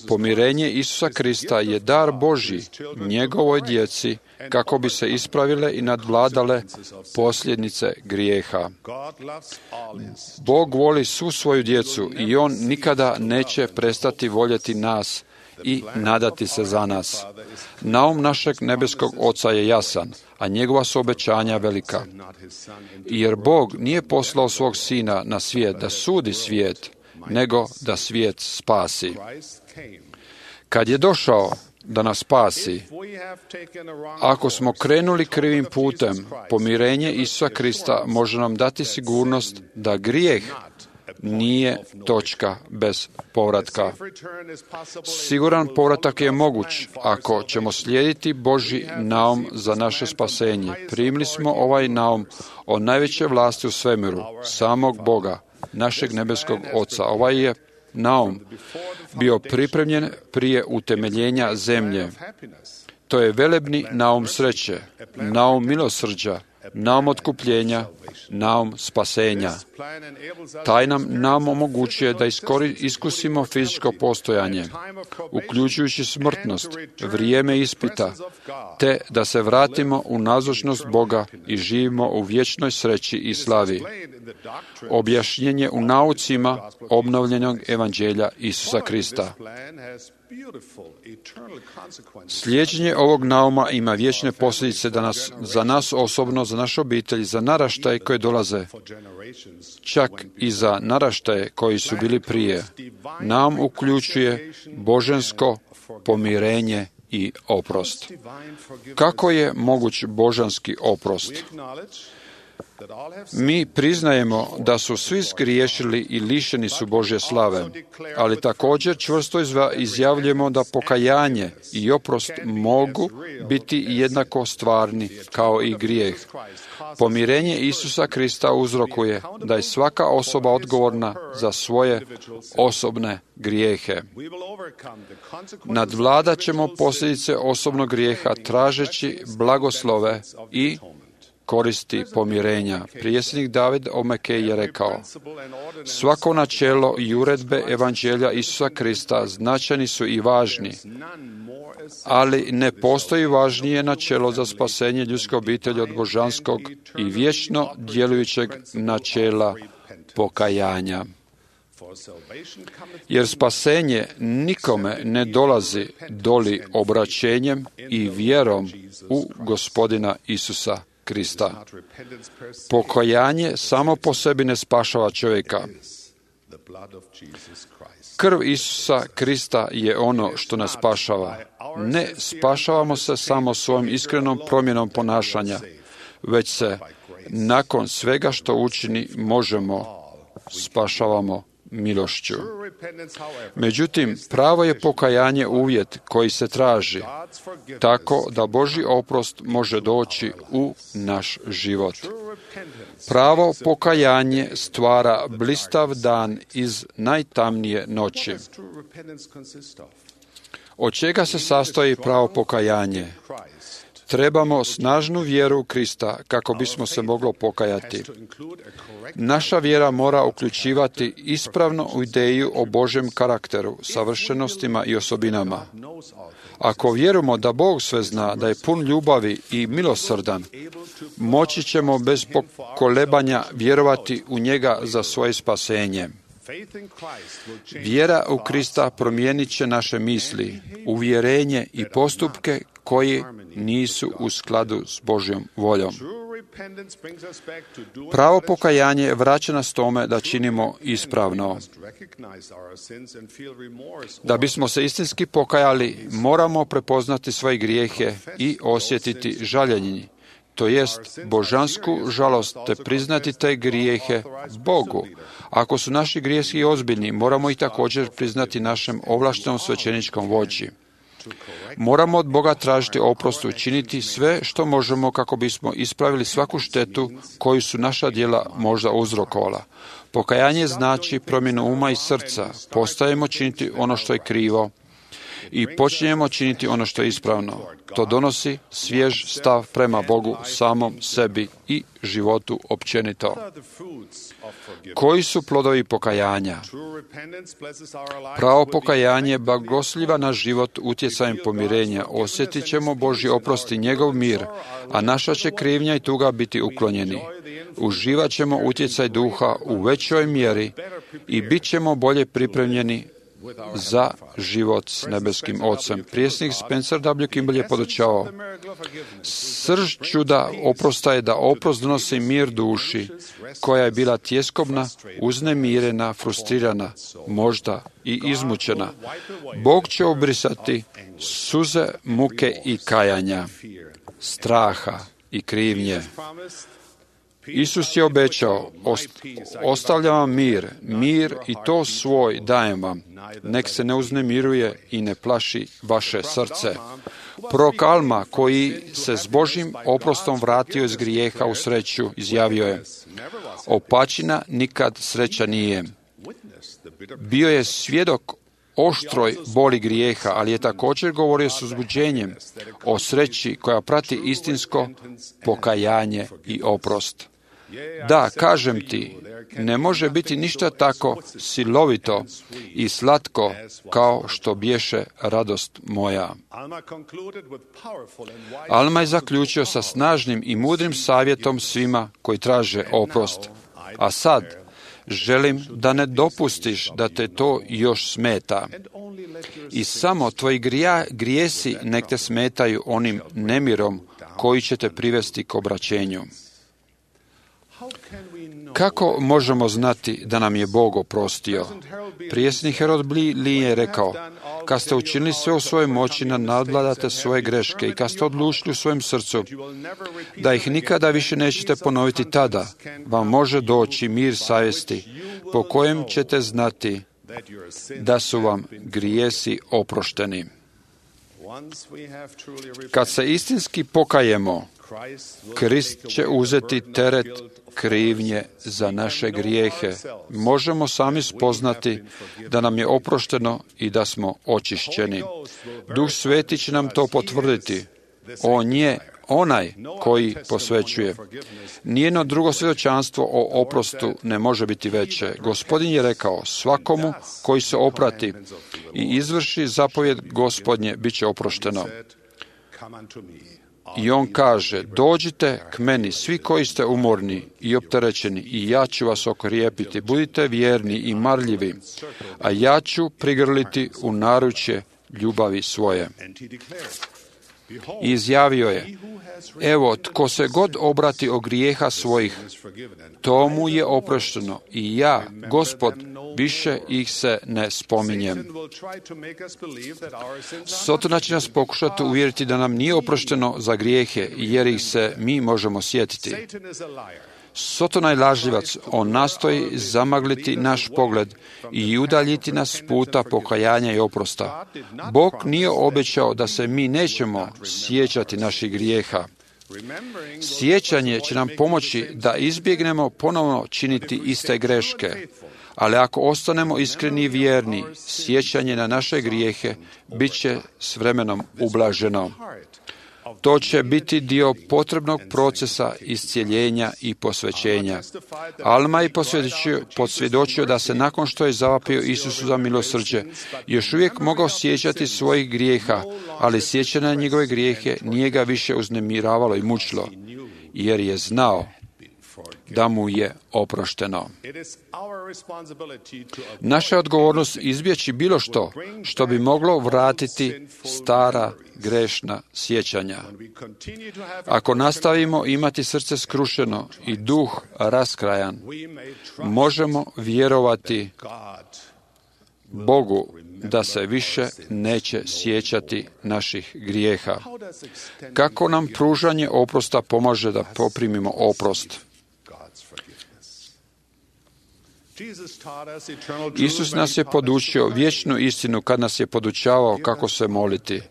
Pomirenje Isusa Krista je dar Božji njegovoj djeci kako bi se ispravile i nadvladale posljedice grijeha. Bog voli svu svoju djecu i On nikada neće prestati voljeti nas i nadati se za nas. Naum našeg nebeskog Oca je jasan, a njegova su obećanja velika. Jer Bog nije poslao svog Sina na svijet da sudi svijet, nego da svijet spasi. Kad je došao da nas spasi, ako smo krenuli krivim putem, pomirenje Isusa Krista može nam dati sigurnost da grijeh nije točka bez povratka. Siguran povratak je moguć ako ćemo slijediti Božji naum za naše spasenje. Primili smo ovaj naum o najveće vlasti u svemiru, samog Boga, našeg nebeskog Oca. Ovaj je naum bio pripremljen prije utemeljenja zemlje. To je velebni naum sreće, naum milosrđa, naum otkupljenja, naum spasenja. Taj nam omogućuje da iskusimo fizičko postojanje, uključujući smrtnost, vrijeme ispita, te da se vratimo u nazočnost Boga i živimo u vječnoj sreći i slavi. Objašnjenje u naucima obnovljenog evanđelja Isusa Krista. Slijeđenje ovog nauma ima vječne posljedice za nas osobno, za naše obitelji, za naraštaje koje dolaze, čak i za naraštaje koji su bili prije. Naum uključuje božansko pomirenje i oprost. Kako je moguć božanski oprost? Mi priznajemo da su svi zgriješili i lišeni su Božje slave, ali također čvrsto izjavljujemo da pokajanje i oprost mogu biti jednako stvarni kao i grijeh. Pomirenje Isusa Krista uzrokuje da je svaka osoba odgovorna za svoje osobne grijehe. Nadvladat ćemo posljedice osobnog grijeha tražeći blagoslove i koristi pomirenja. Prijesnik David o Mekej je rekao: svako načelo i uredbe evanđelja Isusa Krista značajni su i važni, ali ne postoji važnije načelo za spasenje ljudske obitelji od božanskog i vječno djelujućeg načela pokajanja. Jer spasenje nikome ne dolazi doli obraćenjem i vjerom u Gospodina Isusa Krista. Pokajanje samo po sebi ne spašava čovjeka. Krv Isusa Krista je ono što nas spašava. Ne spašavamo se samo svojom iskrenom promjenom ponašanja, već se nakon svega što učini spašavamo milošću. Međutim, pravo je pokajanje uvjet koji se traži, tako da Božji oprost može doći u naš život. Pravo pokajanje stvara blistav dan iz najtamnije noći. Od čega se sastoji pravo pokajanje? Trebamo snažnu vjeru u Krista kako bismo se moglo pokajati. Naša vjera mora uključivati ispravnu ideju o Božjem karakteru, savršenostima i osobinama. Ako vjerujemo da Bog sve zna, da je pun ljubavi i milosrdan, moći ćemo bez pokolebanja vjerovati u njega za svoje spasenje. Vjera u Krista promijenit će naše misli, uvjerenje i postupke koji nisu u skladu s Božjom voljom. Pravo pokajanje vraća nas tome da činimo ispravno. Da bismo se istinski pokajali, moramo prepoznati svoje grijehe i osjetiti žaljenje, to jest božansku žalost, te priznati te grijehe Bogu. Ako su naši grijesi ozbiljni, moramo ih također priznati našem ovlaštenom svećeničkom vođi. Moramo od Boga tražiti oprost i učiniti sve što možemo kako bismo ispravili svaku štetu koju su naša djela možda uzrokovala. Pokajanje znači promjenu uma i srca. Postajemo činiti ono što je krivo i počinjemo činiti ono što je ispravno. To donosi svjež stav prema Bogu, samom sebi i životu općenito. Koji su plodovi pokajanja? Pravo pokajanje blagosliva naš život utjecajem pomirenja. Osjetit ćemo Božji oprost i njegov mir, a naša će krivnja i tuga biti uklonjeni. Uživat ćemo utjecaj duha u većoj mjeri i bit ćemo bolje pripremljeni za život s nebeskim Ocem. Prijesnik Spencer W. Kimball je podučavao: srž čuda oprosta je da oprost donosi mir duši, koja je bila tjeskobna, uznemirena, frustrirana, možda i izmučena. Bog će obrisati suze muke i kajanja, straha i krivnje. Isus je obećao: ostavljam vam mir i to svoj dajem vam. Nek se ne uznemiruje i ne plaši vaše srce. Prorok Alma, koji se s Božjim oprostom vratio iz grijeha u sreću, izjavio je: opačina nikad sreća nije. Bio je svjedok oštroj boli grijeha, ali je također govorio s uzbuđenjem o sreći koja prati istinsko pokajanje i oprost. Da, kažem ti, ne može biti ništa tako silovito i slatko kao što bješe radost moja. Alma je zaključio sa snažnim i mudrim savjetom svima koji traže oprost. A sad, želim da ne dopustiš da te to još smeta. I samo tvoji grijesi nek te smetaju onim nemirom koji će te privesti k obraćenju. Kako možemo znati da nam je Bog oprostio? Prijesnik Herod Lee je rekao: kad ste učinili sve u svojoj moći da nadvladate svoje greške i kad ste odlučili u svojem srcu da ih nikada više nećete ponoviti, tada vam može doći mir savjesti po kojem ćete znati da su vam grijesi oprošteni. Kad se istinski pokajemo, Krist će uzeti teret krivnje za naše grijehe. Možemo sami spoznati da nam je oprošteno i da smo očišćeni. Duh Sveti će nam to potvrditi. On je onaj koji posvećuje. Nijedno drugo svjedočanstvo o oprostu ne može biti veće. Gospodin je rekao: svakomu koji se oprati i izvrši zapovjed Gospodnje bit će oprošteno. I on kaže: dođite k meni, svi koji ste umorni i opterećeni, i ja ću vas okrijepiti. Budite vjerni i marljivi, a ja ću prigrliti u naručje ljubavi svoje. I izjavio je: evo, tko se god obrati od grijeha svojih, tomu je oprošteno, i ja, Gospod, više ih se ne spominjem. Sotona će nas pokušati uvjeriti da nam nije oprošteno za grijehe, jer ih se mi možemo sjetiti. Sotona je lažljivac, on nastoji zamagliti naš pogled i udaljiti nas s puta pokajanja i oprosta. Bog nije obećao da se mi nećemo sjećati naših grijeha. Sjećanje će nam pomoći da izbjegnemo ponovno činiti iste greške, ali ako ostanemo iskreni i vjerni, sjećanje na naše grijehe bit će s vremenom ublaženo. To će biti dio potrebnog procesa iscijeljenja i posvećenja. Alma je posvjedočio da se nakon što je zavapio Isusu za milosrđe, još uvijek mogao sjećati svojih grijeha, ali sjećanje na njegove grijehe nije ga više uznemiravalo i mučilo, jer je znao da mu je oprošteno. Naša je odgovornost izbjeći bilo što bi moglo vratiti stara grešna sjećanja. Ako nastavimo imati srce skrušeno i duh raskrajan, možemo vjerovati Bogu da se više neće sjećati naših grijeha. Kako nam pružanje oprosta pomaže da poprimimo oprost? Isus nas je podučio vječnu istinu kad nas je podučavao kako se moliti.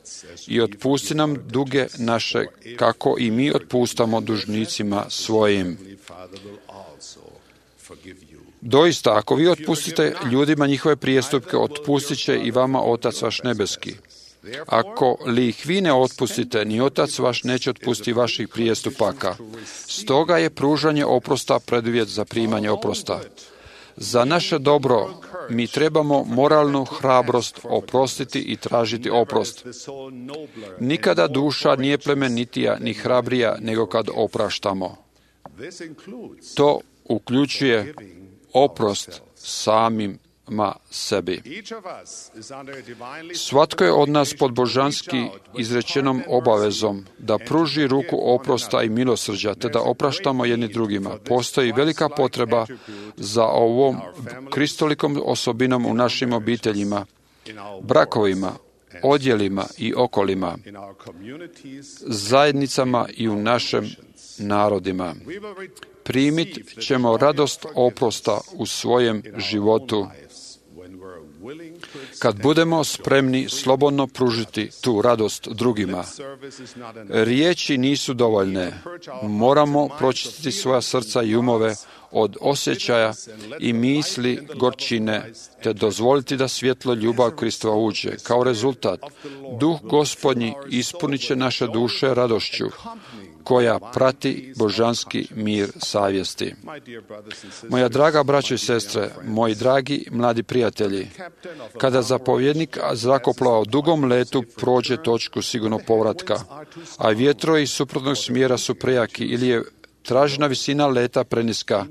I otpusti nam duge naše, kako i mi otpustamo dužnicima svojim. Doista, ako vi otpustite ljudima njihove prijestupke, otpustit će i vama Otac vaš nebeski. Ako li ih vi ne otpustite, ni Otac vaš neće otpustiti vaših prijestupaka. Stoga je pružanje oprosta preduvjet za primanje oprosta. Za naše dobro mi trebamo moralnu hrabrost oprostiti i tražiti oprost. Nikada duša nije plemenitija ni hrabrija nego kad opraštamo. To uključuje oprost samima sebi. Svatko je od nas pod božanski izrečenom obavezom da pruži ruku oprosta i milosrđa, te da opraštamo jedni drugima. Postoji velika potreba za ovom kristolikom osobinom u našim obiteljima, brakovima, odjelima i okolima, zajednicama i u našem narodima. Primit ćemo radost oprosta u svojem životu kad budemo spremni slobodno pružiti tu radost drugima. Riječi nisu dovoljne. Moramo pročistiti svoja srca i umove od osjećaja i misli gorčine, te dozvoliti da svjetlo ljubav Kristova uđe. Kao rezultat, Duh Gospodnji ispunit će naše duše radošću, koja prati božanski mir savjesti. Moja draga braćo i sestre, moji dragi mladi prijatelji, kada zapovjednik zrakoplova u dugom letu prođe točku sigurnog povratka, a vjetrovi iz suprotnog smjera su prejaki ili je tražena visina leta preniska,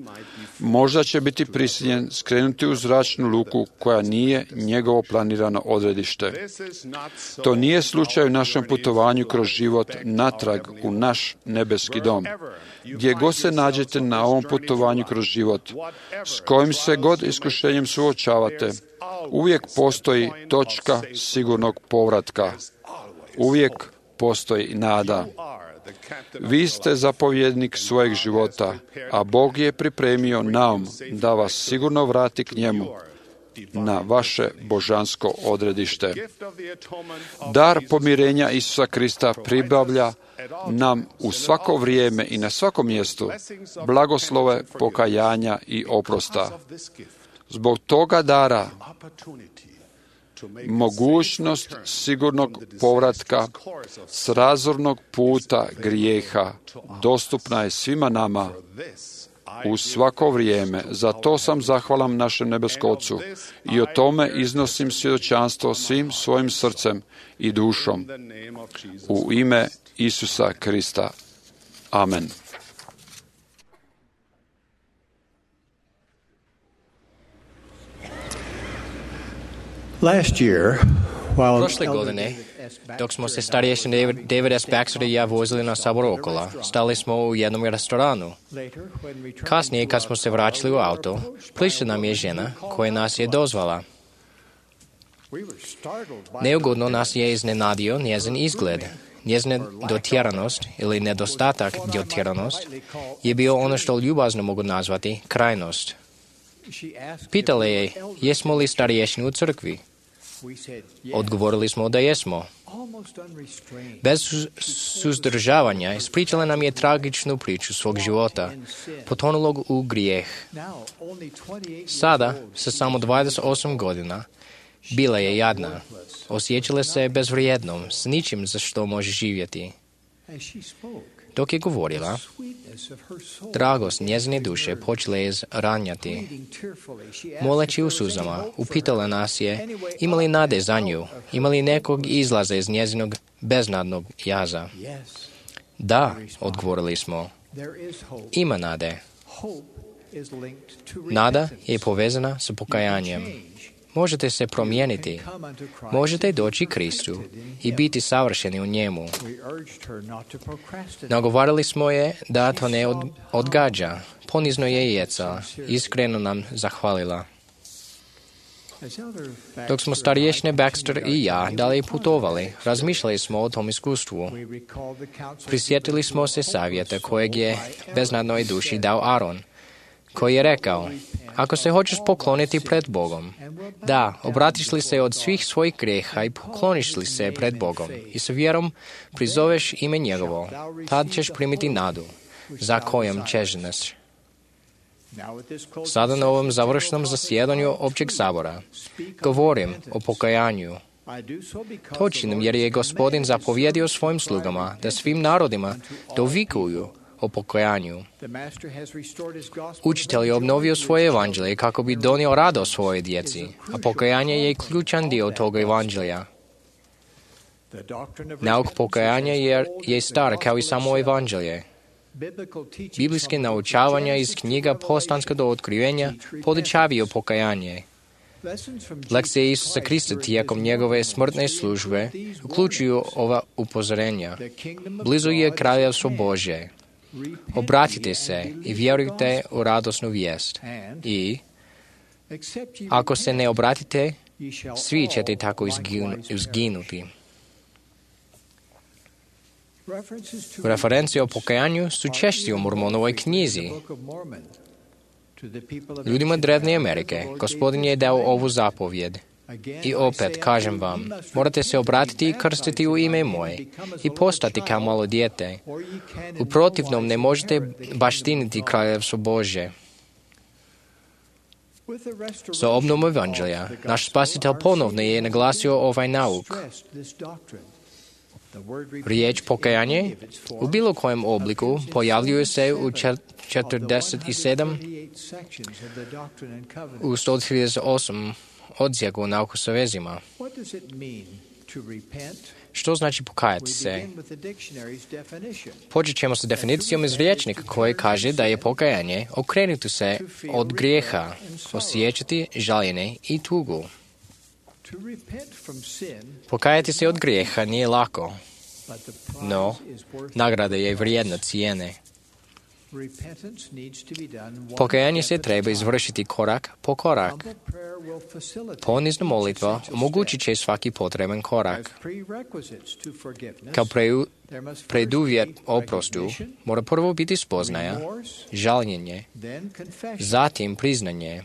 možda će biti prisiljen skrenuti u zračnu luku koja nije njegovo planirano odredište. To nije slučaj u našem putovanju kroz život natrag u naš nebeski dom. Gdje god se nađete na ovom putovanju kroz život, s kojim se god iskušenjem suočavate, uvijek postoji točka sigurnog povratka. Uvijek postoji nada. Vi ste zapovjednik svojeg života, a Bog je pripremio naum da vas sigurno vrati k njemu na vaše božansko odredište. Dar pomirenja Isusa Krista pribavlja nam u svako vrijeme i na svakom mjestu blagoslove pokajanja i oprosta. Zbog toga dara mogućnost sigurnog povratka s razornog puta grijeha dostupna je svima nama u svako vrijeme. Za to sam zahvalan našem nebeskom Ocu i o tome iznosim svjedočanstvo svim svojim srcem i dušom u ime Isusa Krista. Amen. Prošle godine, dok smo se starješin David S. Baxter i ja vozili na sabor okolo, stali smo u jednom restoranu. Kasnije, kad smo se vraćali u auto, prišla nam je žena koja nas je dozvala. Neugodno nas je iznenadio njezin izgled. Njezina dotjeranost ili nedostatak dotjeranost je bio ono što ljubazno mogu nazvati krajnost. Pitala je, jesmo li starješini u crkvi? Odgovorili smo da jesmo. Bez suzdržavanja ispričala nam je tragičnu priču svog života, potonulog u grijeh. Sada, sa samo 28 godina, bila je jadna. Osjećala se bezvrijednom, s ničim za što može živjeti. Dok je govorila, dragost njezine duše počela je ranjati. Moleći u suzama, upitala nas je, ima li nade za nju, ima li nekog izlaza iz njezinog beznadnog jaza. Da, odgovorili smo, ima nade. Nada je povezana sa pokajanjem. Možete se promijeniti, možete doći Kristu i biti savršeni u njemu. Nagovarali smo je da to ne odgađa. Ponizno je jecala, iskreno nam zahvalila. Dok smo starješne Baxter i ja dalje putovali, razmišljali smo o tom iskustvu. Prisjetili smo se savjeta kojeg je beznadnoj duši dao Aron, koji je rekao: ako se hoćeš pokloniti pred Bogom, da, obratiš li se od svih svojih grijeha i pokloniš li se pred Bogom i sa vjerom prizoveš ime njegovo, tad ćeš primiti nadu, za kojom čežneš. Sada na ovom završnom zasjedanju općeg sabora govorim o pokajanju. To činim jer je Gospodin zapovjedio svojim slugama da svim narodima dovikuju o pokajanju. Učitelj je obnovio svoje evanđelje kako bi donio radost svojoj djeci, a pokajanje je ključan dio toga evanđelja. Nauk pokajanja je star kao i samo evanđelje. Biblijske naučavanja iz knjiga Postanska do otkrivenja podučavaju pokajanje. Lekcije Isusa Krista tijekom njegove smrtne službe uključuju ova upozorenja. Blizu je kraljevstvo Božje. Obratite se i vjerujte u radosnu vijest. I ako se ne obratite, svi ćete tako izginuti. Referencije o pokajanju su češće u Mormonovoj knjizi. Ljudima Drevne Amerike Gospodin je dao ovu zapovjed. I opet, kažem vam, morate se obratiti i krstiti u ime moje i postati kao malo dijete. U protivnom ne možete baštiniti kraljevstvo Božje. Sa obnovom evanđelja, naš spasitelj ponovno je naglasio ovaj nauk. Riječ pokajanje u bilo kojem obliku pojavljuje se u 47 u 138 odsjeku nauku sa vezima. Što znači pokajati se? Počet ćemo sa definicijom iz rječnika koji kaže da je pokajanje okrenuti se od grijeha, osjećati žaljenje i tugu. Pokajati se od grijeha nije lako, no nagrada je vrijedna cijene. Pokajanje se treba izvršiti korak po korak. Ponizna molitva omogućit će svaki potreban korak. Kao preduvjet oprostu mora prvo biti spoznaja, žaljenje, zatim priznanje.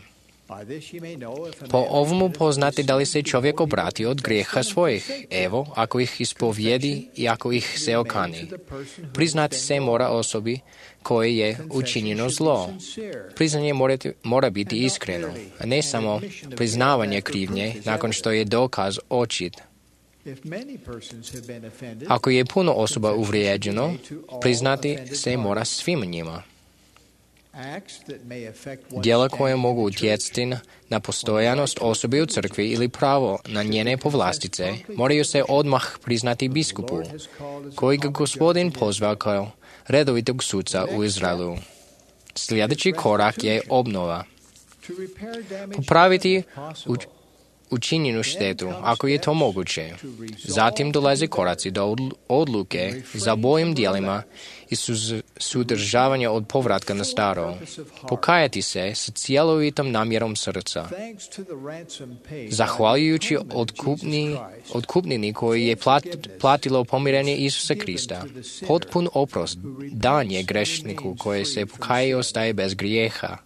Po ovomu poznati da li se čovjek obrati od grijeha svojih. Evo, ako ih ispovjedi i ako ih se okani. Priznati se mora osobi koje je učinjeno zlo. Priznanje mora biti iskreno, a ne samo priznavanje krivnje nakon što je dokaz očit. Ako je puno osoba uvrijeđeno, priznati se mora svim njima. Djela koje mogu utjecati na postojanost osobe u crkvi ili pravo na njene povlastice moraju se odmah priznati biskupu, koji ga Gospodin pozvao kao redovitog suca u Izraelu. Sljedeći korak je obnova. Popraviti učinjenu štetu, ako je to moguće. Zatim dolaze koraci do odluke za bojim dijelima i sudržavanja od povratka na staro. Pokajati se sa cjelovitom namjerom srca. Zahvaljujući otkupnini koji je platilo pomirenje Isusa Krista, potpun oprost dan je grešniku koji se pokaje i ostaje bez grijeha.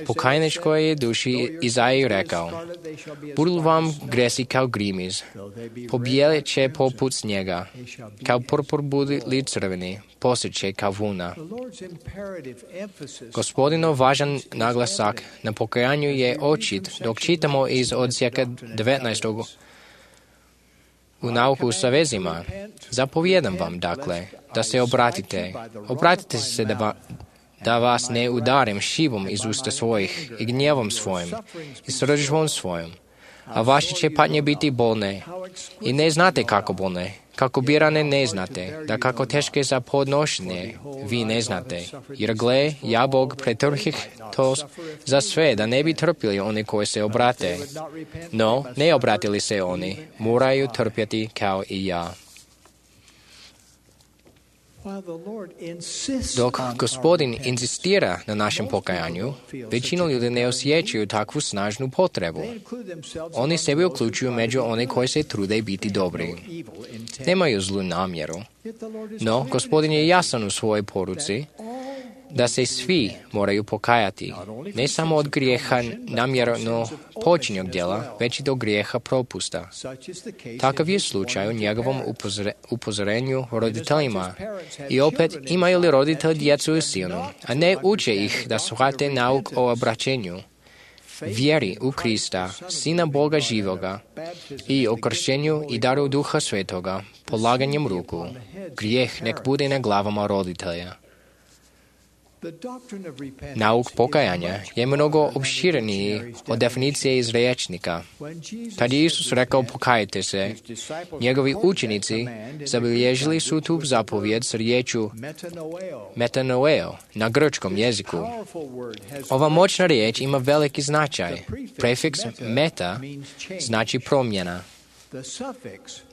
Pokajničkoj je duši Izaji rekao: budu vam gresi kao grimiz, pobijelit će poput snijega, kao purpur budi crveni, posjeće kao vuna. Gospodinov važan naglasak na pokajanju je očit dok čitamo iz odsjeka 19. u nauku sa vezima. Zapovjedam vam, dakle, da se obratite. Obratite se da vas ne udarim šivom iz usta svojih i gnjevom svojim i sržbom svojom, a vaše će patnje biti bolne i ne znate kako bolne, kako birane ne znate, da kako teške za podnošenje vi ne znate. Jer gle, ja Bog pretrpih to za sve, da ne bi trpili oni koji se obrate. No, ne obratili se oni, moraju trpjeti kao i ja. Dok Gospodin insistira na našem pokajanju, većina ljudi ne osjećaju takvu snažnu potrebu. Oni sebe uključuju među one koji se trude biti dobri. Nemaju zlu namjeru. No, Gospodin je jasan u svojoj poruci da se svi moraju pokajati, ne samo od grijeha namjerno počinjenog djela, već i do grijeha propusta. Takav je slučaj u njegovom upozorenju roditeljima. I opet, imaju li roditelj djecu u sinu, a ne uče ih da shvate nauk o obraćenju, vjeri u Krista, Sina Boga živoga, i o kršćenju i daru Duha Svetoga, polaganjem ruku. Grijeh nek bude na glavama roditelja. Nauk pokajanja je mnogo opšireniji od definicije iz rječnika. Kad je Isus rekao pokajte se, njegovi učenici zabilježili su tu zapovjed s riječju metanoeo na grčkom jeziku. Ova moćna riječ ima veliki značaj. Prefiks meta znači promjena.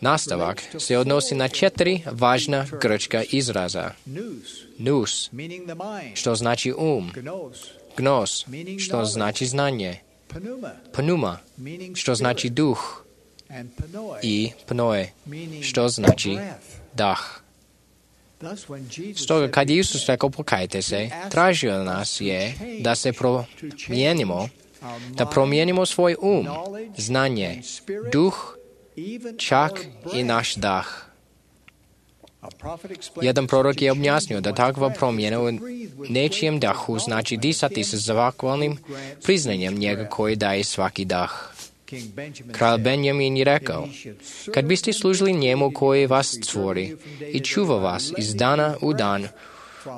Nastavak se odnosi na 4 važna grčka izraza. Nous, što znači gnos, što znači znanje, pneuma, što znači duh, i pnoe, što znači dah. Stoga kad je Isus rekao pokajte se, tražio nas je da se promijenimo, da promijenimo svoj znanje, duh, čak i naš dah. Jedan prorok je objasnio da takva promjena u nečijem dahu znači disati se zahvalnim priznanjem njega koji daje svaki dah. Kralj Benjamin je rekao, kad biste služili njemu koji vas stvori i čuva vas iz dana u dan,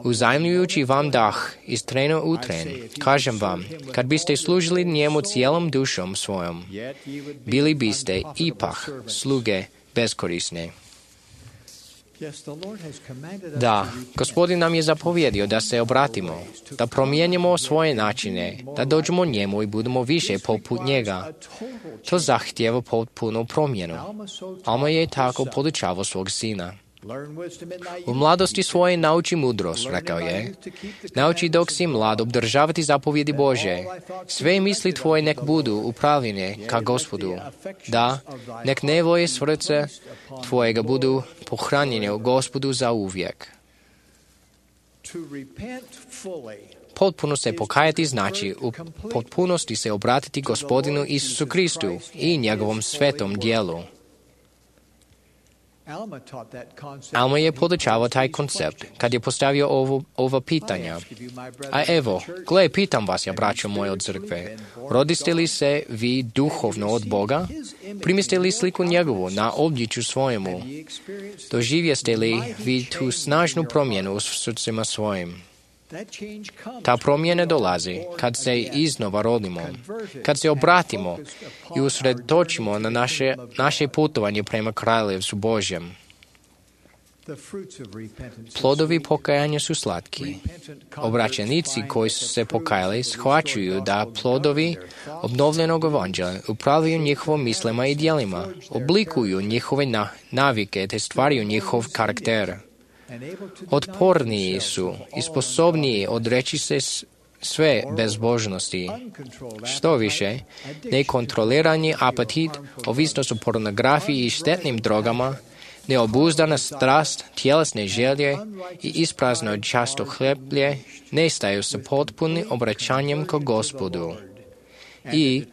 uzajmljujući vam dah iz trena u tren, kažem vam, kad biste služili njemu cijelom dušom svojom, bili biste ipak sluge beskorisne. Da, Gospodin nam je zapovjedio da se obratimo, da promijenimo svoje načine, da dođemo njemu i budemo više poput njega. To zahtijeva potpunu promjenu. Alma je tako podučavao svog sina. U mladosti svoje nauči mudrost, rekao je. Nauči dok si mlad obdržavati zapovjedi Bože. Sve misli tvoje nek budu upravljene ka Gospodu. Da, nek nevolje srce tvojega budu pohranjene u Gospodu za uvijek. Potpuno se pokajati znači u potpunosti se obratiti Gospodinu Isusu Kristu i njegovom svetom dijelu. Alma je podučavao taj koncept kad je postavio ova pitanja. A evo, gle, pitam vas, ja braćo moje od crkve, rodiste li se vi duhovno od Boga? Primiste li sliku njegovu na obličju svojemu? Doživjeste li vi tu snažnu promjenu u srcima svojim? Ta promjena dolazi kad se iznova rodimo, kad se obratimo i usredotočimo na naše putovanje prema Kraljevstvu Božjem. Plodovi pokajanja su slatki. Obraćenici koji su se pokajali shvaćuju da plodovi obnovljenog evanđelja upravljaju njihovom mislima i djelima, oblikuju njihove navike te stvaraju njihov karakter. Otporniji su i sposobniji odreći se sve bezbožnosti. Što više, nekontrolirani apetit, ovisnost o pornografiji i štetnim drogama, neobuzdana strast, tjelesne želje i isprazno často hleblje nestaju sa potpunim obraćanjem ka Gospodu i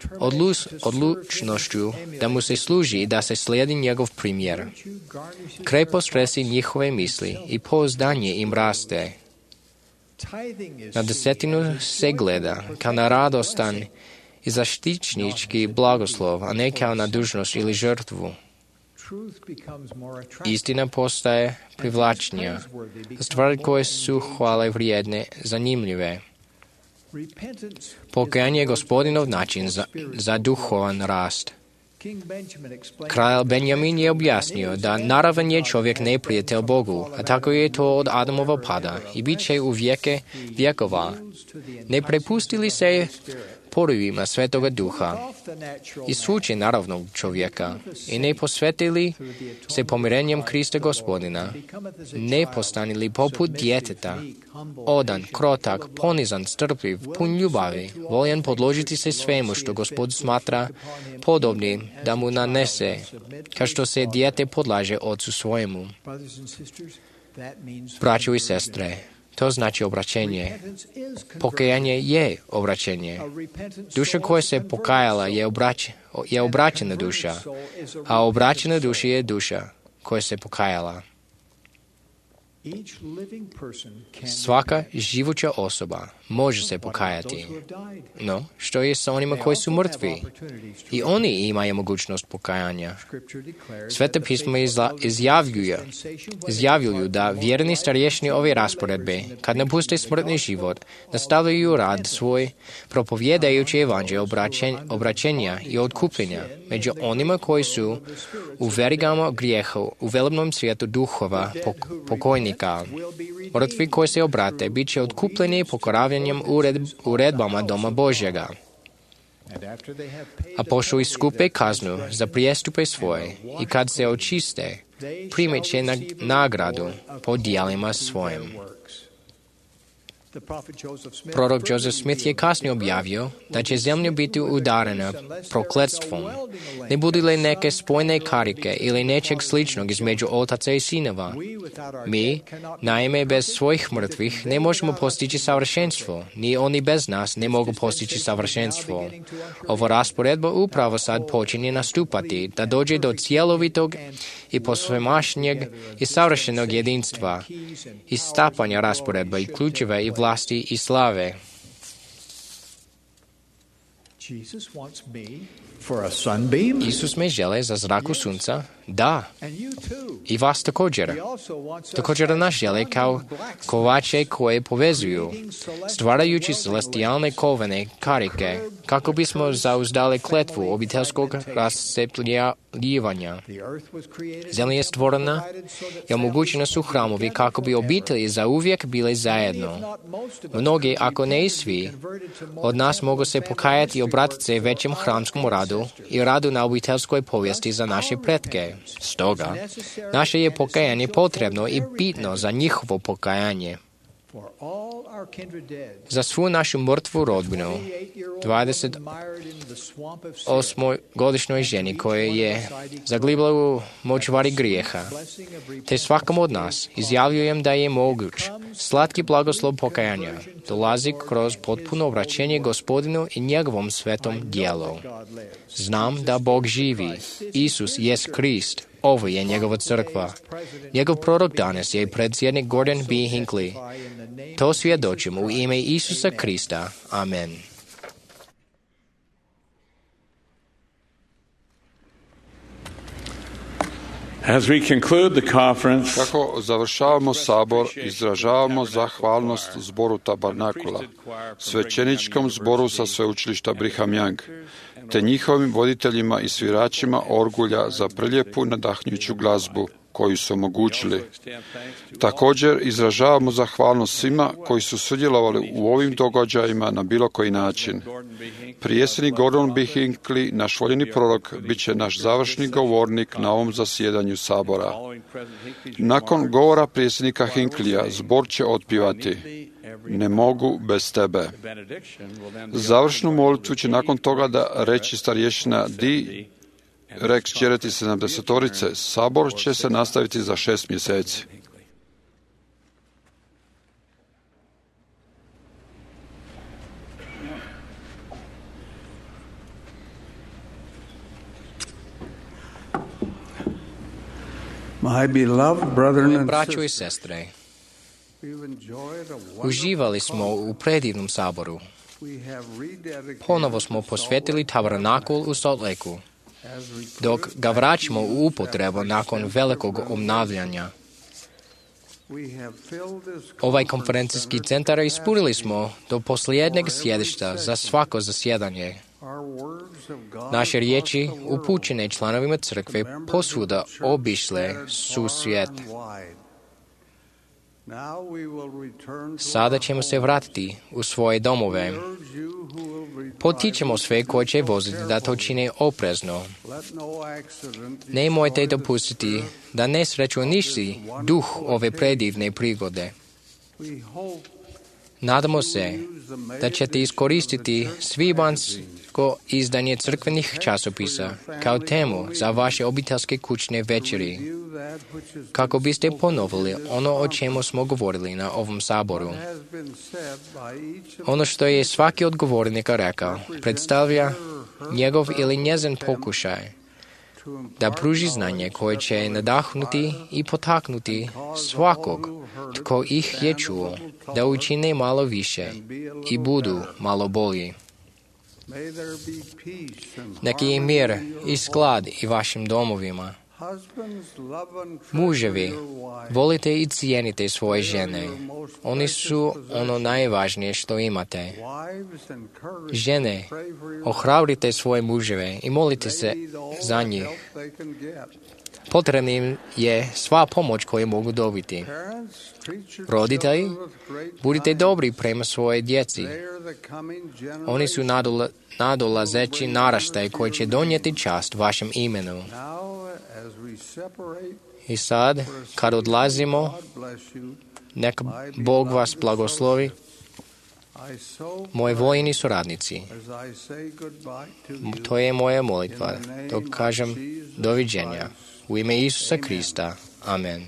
odlučnošću da mu se služi i da se slijedi njegov primjer. Krepost resi njihove misli i pouzdanje im raste. Na desetinu se gleda kao na radostan i zaštićnički blagoslov, a ne kao na dužnost ili žrtvu. Istina postaje privlačnija. Stvari koje su hvale vrijedne, zanimljive. Pokajanje je Gospodinov način za duhovan rast. Kralj Benjamin je objasnio da naravan je čovjek neprijatelj Bogu, a tako je to od Adamova pada i bit će u vijeke vjekova. Ne prepustili se porivima Svetoga Duha i suče naravnog čovjeka i ne posvetili se pomirenjem Krista Gospodina, ne postanili poput djeteta, odan, krotak, ponizan, strpljiv, pun ljubavi, voljan podložiti se svemu što Gospod smatra podobnim da mu nanese, kao što se dijete podlaže ocu svojemu. Braćo i sestre, to znači obraćenje. Pokajanje je obraćenje. Duša koja se pokajala je obraćena duša, a obraćena duša je duša koja se pokajala. Svaka živuća osoba može se pokajati. No, što je sa onima koji su mrtvi? I oni imaju mogućnost pokajanja. Sveta pisma izjavljuju da vjerni starješni ove rasporedbe, kad napuste smrtni život, nastavljaju rad svoj propovjedajući evanđelje obraćenja i otkupljenja među onima koji su u verigama grijeha u velebnom svijetu duhova pokojnika. Mrtvi koji se obrate bit će otkupljeni pokoravljanjem uredbama Doma Božjega. A pošto iskupe kaznu za prijestupe svoje i kad se očiste, primet će nagradu po djelima svojim. Prorok Joseph Smith je kasnije objavio da će zemlja biti udarena prokletstvom. Ne budu li neke spojne karike ili nečeg sličnog između otaca i sinova. Mi, naime, bez svojih mrtvih ne možemo postići savršenstvo, ni oni bez nas ne mogu postići savršenstvo. Ova rasporedba upravo sad počinje nastupati, da dođe do cjelovitog i posvemašnjeg i savršenog jedinstva, istapanja rasporedba i ključeva i vlasti i slave. Isus me žele za zraku sunca, da, i vas također. Također nas žele kao kovače koje povezuju, stvarajući celestijalne kovene karike, kako bismo zauzdali kletvu obiteljskog rascepljivanja. Zemlja je stvorena i omogućena su hramovi kako bi obitelji zauvijek bile zajedno. Mnogi, ako ne i svi, od nas mogu se pokajati i obratiti se većem hramskom radu i radu na obiteljskoj povijesti za naše pretke. Stoga, naše je pokajanje potrebno i bitno za njihovo pokajanje. Za svu našu mrtvu rodbinu, 28-godišnjoj ženi koja je zaglibila u močvari grijeha, te svakom od nas izjavljujem da je moguć slatki blagoslov pokajanja dolazi kroz potpuno obraćenje Gospodinu i njegovom svetom djelu. Znam da Bog živi, Isus jest Krist, ovo je njegova crkva. Njegov prorok danas je predsjednik Gordon B. Hinckley. To svjedočimo u ime Isusa Krista. Amen. As we conclude the conference, kako završavamo sabor, izražavamo zahvalnost zboru Tabernakula, svećeničkom zboru sa sveučilišta Brigham Young, te njihovim voditeljima i sviračima orgulja za prelijepu nadahnjuću glazbu koju su omogućili. Također izražavamo zahvalnost svima koji su sudjelovali u ovim događajima na bilo koji način. Predsjednik Gordon B. Hinckley, naš voljeni prorok, bit će naš završni govornik na ovom zasjedanju sabora. Nakon govora predsjednika Hinckleyja, zbor će otpivati Ne mogu bez tebe. Završnu molitvu će nakon toga da reći starješina Di Rex Čereti 70-orice. Sabor će se nastaviti za 6 mjeseci. Braćo i sestre, uživali smo u predivnom saboru. Ponovo smo posvetili tabernakul u Salt Lakeu, dok ga vraćamo u upotrebu nakon velikog obnavljanja. Ovaj konferencijski centar ispunili smo do posljednjeg sjedišta za svako zasjedanje. Naše riječi upućene članovima crkve posvuda obišle su svijet. Sada ćemo se vratiti u svoje domove. Potičemo sve koji će voziti da to čine oprezno. Nemojte dopustiti da nesreću uništi duh ove predivne prigode. Nadamo se da ćete iskoristiti svibanjsko izdanje crkvenih časopisa kao temu za vaše obiteljske kućne večeri, kako biste ponovili ono o čemu smo govorili na ovom saboru. Ono što je svaki od govornika rekao predstavlja njegov ili njezin pokušaj da pruži znanje koje će nadahnuti i potaknuti svakog tko ih je čuo, da učine malo više i budu malo bolji. Neki je mir i sklad i vašim domovima. Muževi, volite i cijenite svoje žene. Oni su ono najvažnije što imate. Žene, ohrabrite svoje muževe i molite se za njih. Potrebna im je sva pomoć koju mogu dobiti. Roditelji, budite dobri prema svoje djeci. Oni su nadolazeći naraštaj koji će donijeti čast vašem imenu. I sad, kad odlazimo, neka Bog vas blagoslovi, moji vojni suradnici. To je moja molitva, dok kažem doviđenja. U ime Isusa Krista. Amen.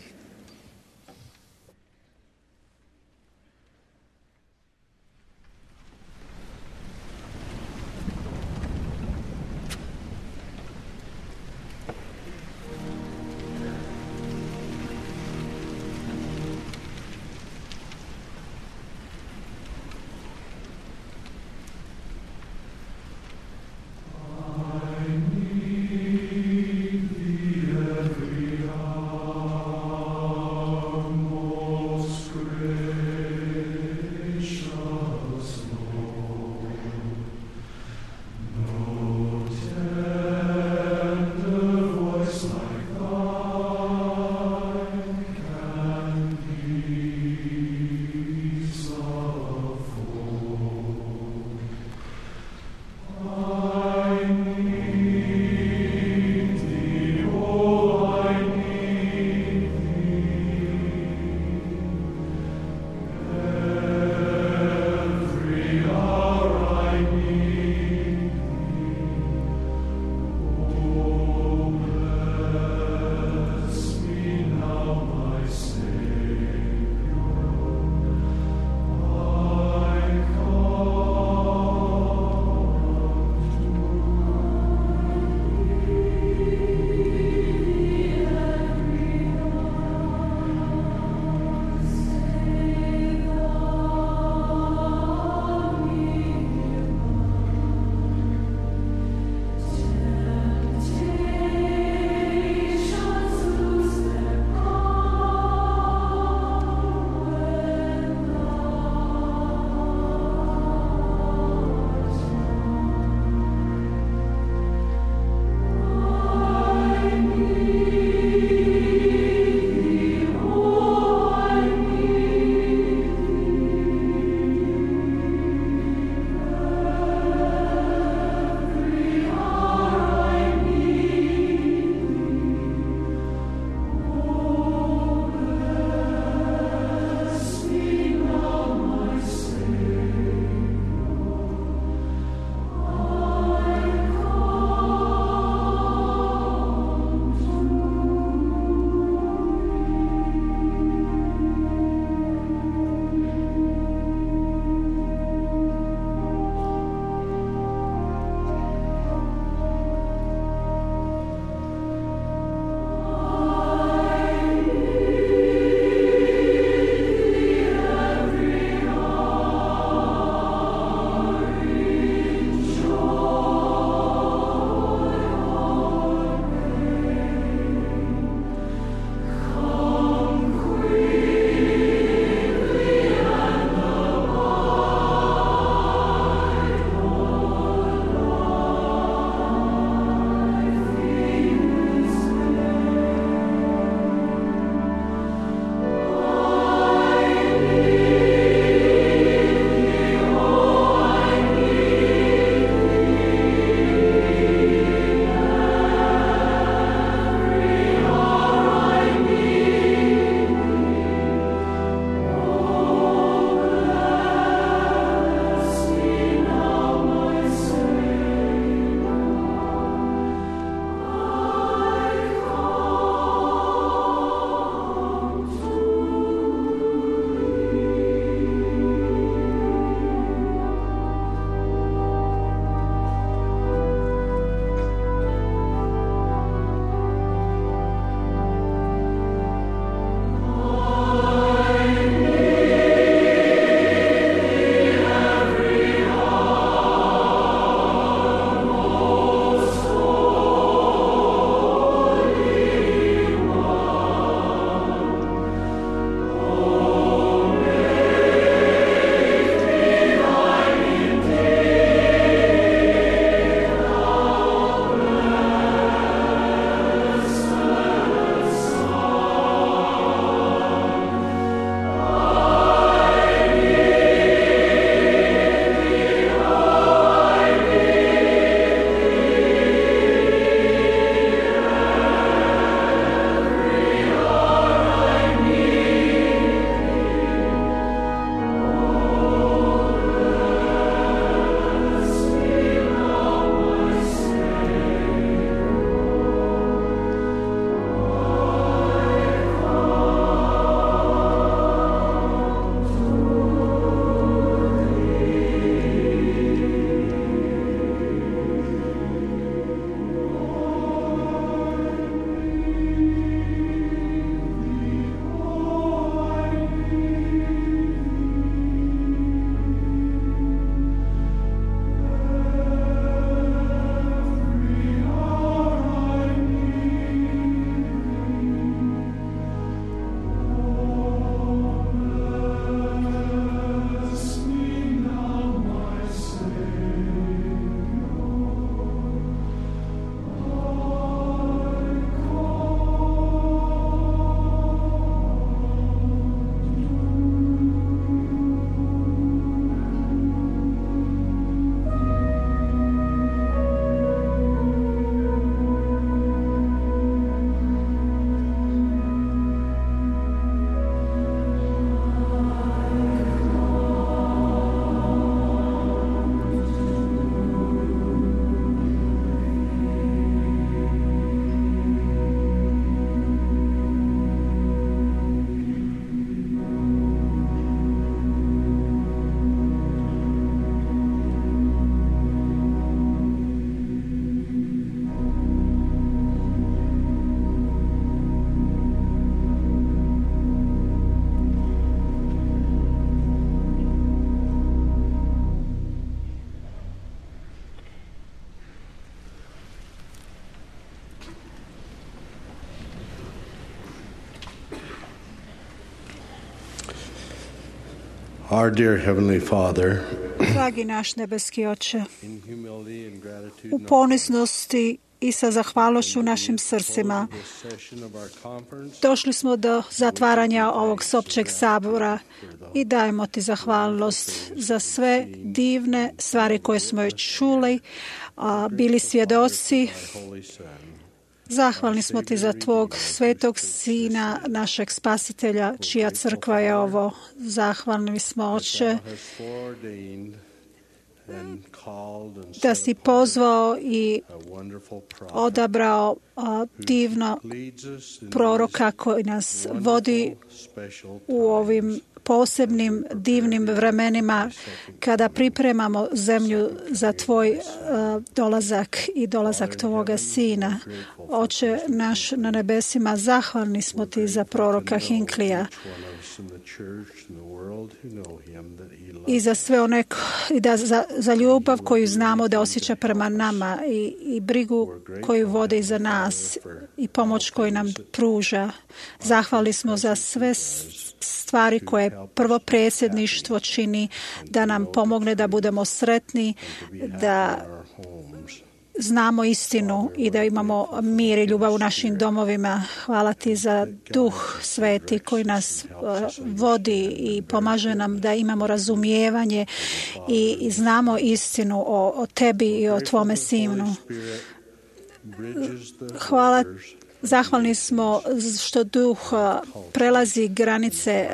Our dear Heavenly Father, Dragi naš nebeski Oče, u ponisnosti i sa zahvalnošću u našim srcima došli smo do zatvaranja ovog općeg sabora i dajemo ti zahvalnost za sve divne stvari koje smo još čuli, bili svjedoci. Zahvalni smo ti za tvog svetog sina, našeg spasitelja, čija crkva je ovo. Zahvalni smo, Oče, da si pozvao i odabrao divno proroka koji nas vodi u ovim posebnim, divnim vremenima kada pripremamo zemlju za tvoj dolazak i dolazak tvoga sina. Oče naš na nebesima, zahvalni smo ti za proroka Hinklija i za sve one i za ljubav koju znamo da osjeća prema nama i brigu koju vodi za nas i pomoć koju nam pruža. Zahvalni smo za sve stvari koje prvo predsjedništvo čini da nam pomogne da budemo sretni, da znamo istinu i da imamo mir i ljubav u našim domovima. Hvala ti za Duh Sveti koji nas vodi i pomaže nam da imamo razumijevanje i znamo istinu o tebi i o tvome sinu. Hvala. Zahvalni smo što Duh prelazi granice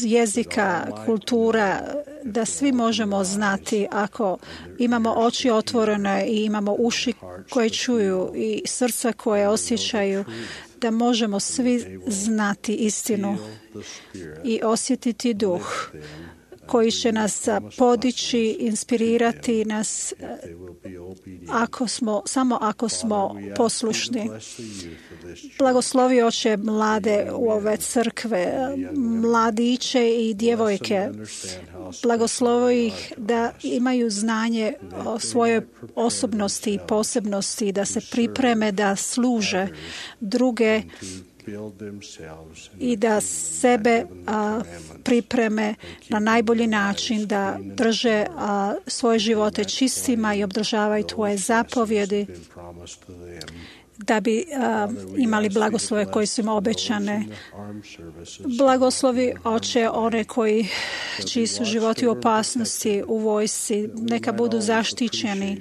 jezika, kultura, da svi možemo znati ako imamo oči otvorene i imamo uši koje čuju i srca koje osjećaju, da možemo svi znati istinu i osjetiti Duh koji će nas podići, inspirirati nas samo ako smo poslušni. Blagoslovi, Oče, mlade u ove crkve, mladiće i djevojke. Blagoslovi ih da imaju znanje o svojoj osobnosti i posebnosti, da se pripreme da služe druge i da sebe pripreme na najbolji način, da drže svoje živote čistima i obdržavaju tvoje zapovjedi, da bi imali blagoslove koji su im obećane. Blagoslovi, Oče, one čiji su životi u opasnosti u vojsci, neka budu zaštićeni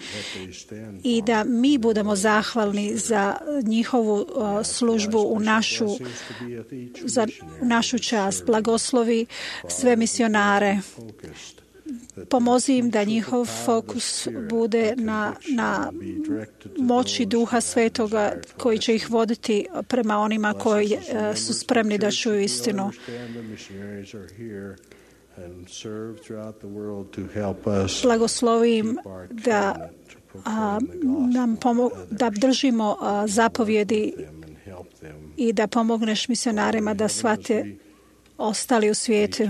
i da mi budemo zahvalni za njihovu službu u našu čast. Blagoslovi sve misionare. Pomozi im da njihov fokus bude na moći Duha Svetoga koji će ih voditi prema onima koji su spremni da čuju istinu. Blagoslovi im da držimo zapovjedi i da pomogneš misionarima da shvate ostali u svijetu.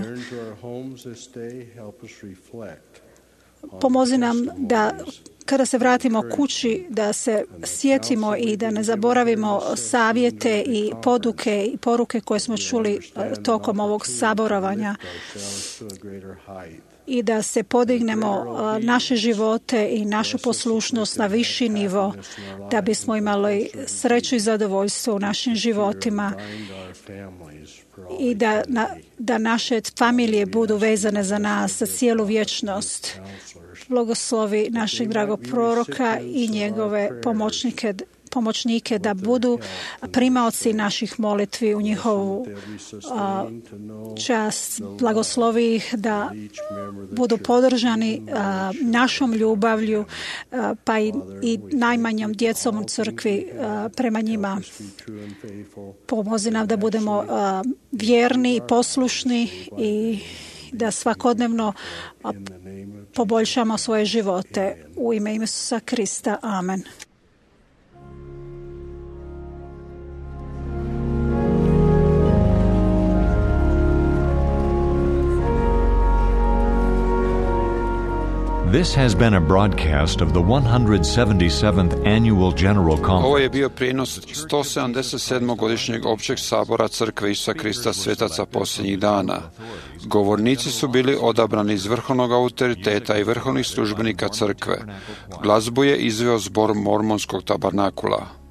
Pomozi nam da kada se vratimo kući da se sjetimo i da ne zaboravimo savjete i poduke i poruke koje smo čuli tokom ovog saboravanja i da se podignemo naše živote i našu poslušnost na viši nivo da bismo imali sreću i zadovoljstvo u našim životima i da naše familije budu vezane za nas, za cijelu vječnost. Blagoslovi našeg dragog proroka i njegove pomoćnike da budu primaoci naših molitvi u njihovu čast. Blagoslovi ih da budu podržani našom ljubavlju pa i najmanjom djecom u crkvi prema njima. Pomozi nam da budemo vjerni i poslušni i da svakodnevno poboljšamo svoje živote. U ime Isusa Krista. Amen. This has been a broadcast of the 177th Annual General Ovo Conference. je bio prijenos 177. godišnjeg općeg sabora Crkve Isusa Krista Svetaca posljednjih dana. Govornici su bili odabrani iz vrhovnog autoriteta i vrhovnih službenika Crkve. Glazbu je izveo zbor Mormonskog tabernakula.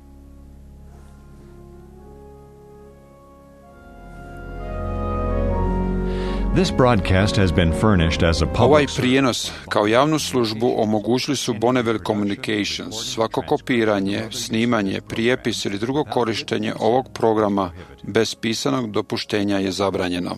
This broadcast has been furnished as a Ovaj public prijenos kao javnu službu omogućili su Bonneville Communications. Svako kopiranje, snimanje, prijepis ili drugo korištenje ovog programa bez pisanog dopuštenja je zabranjeno.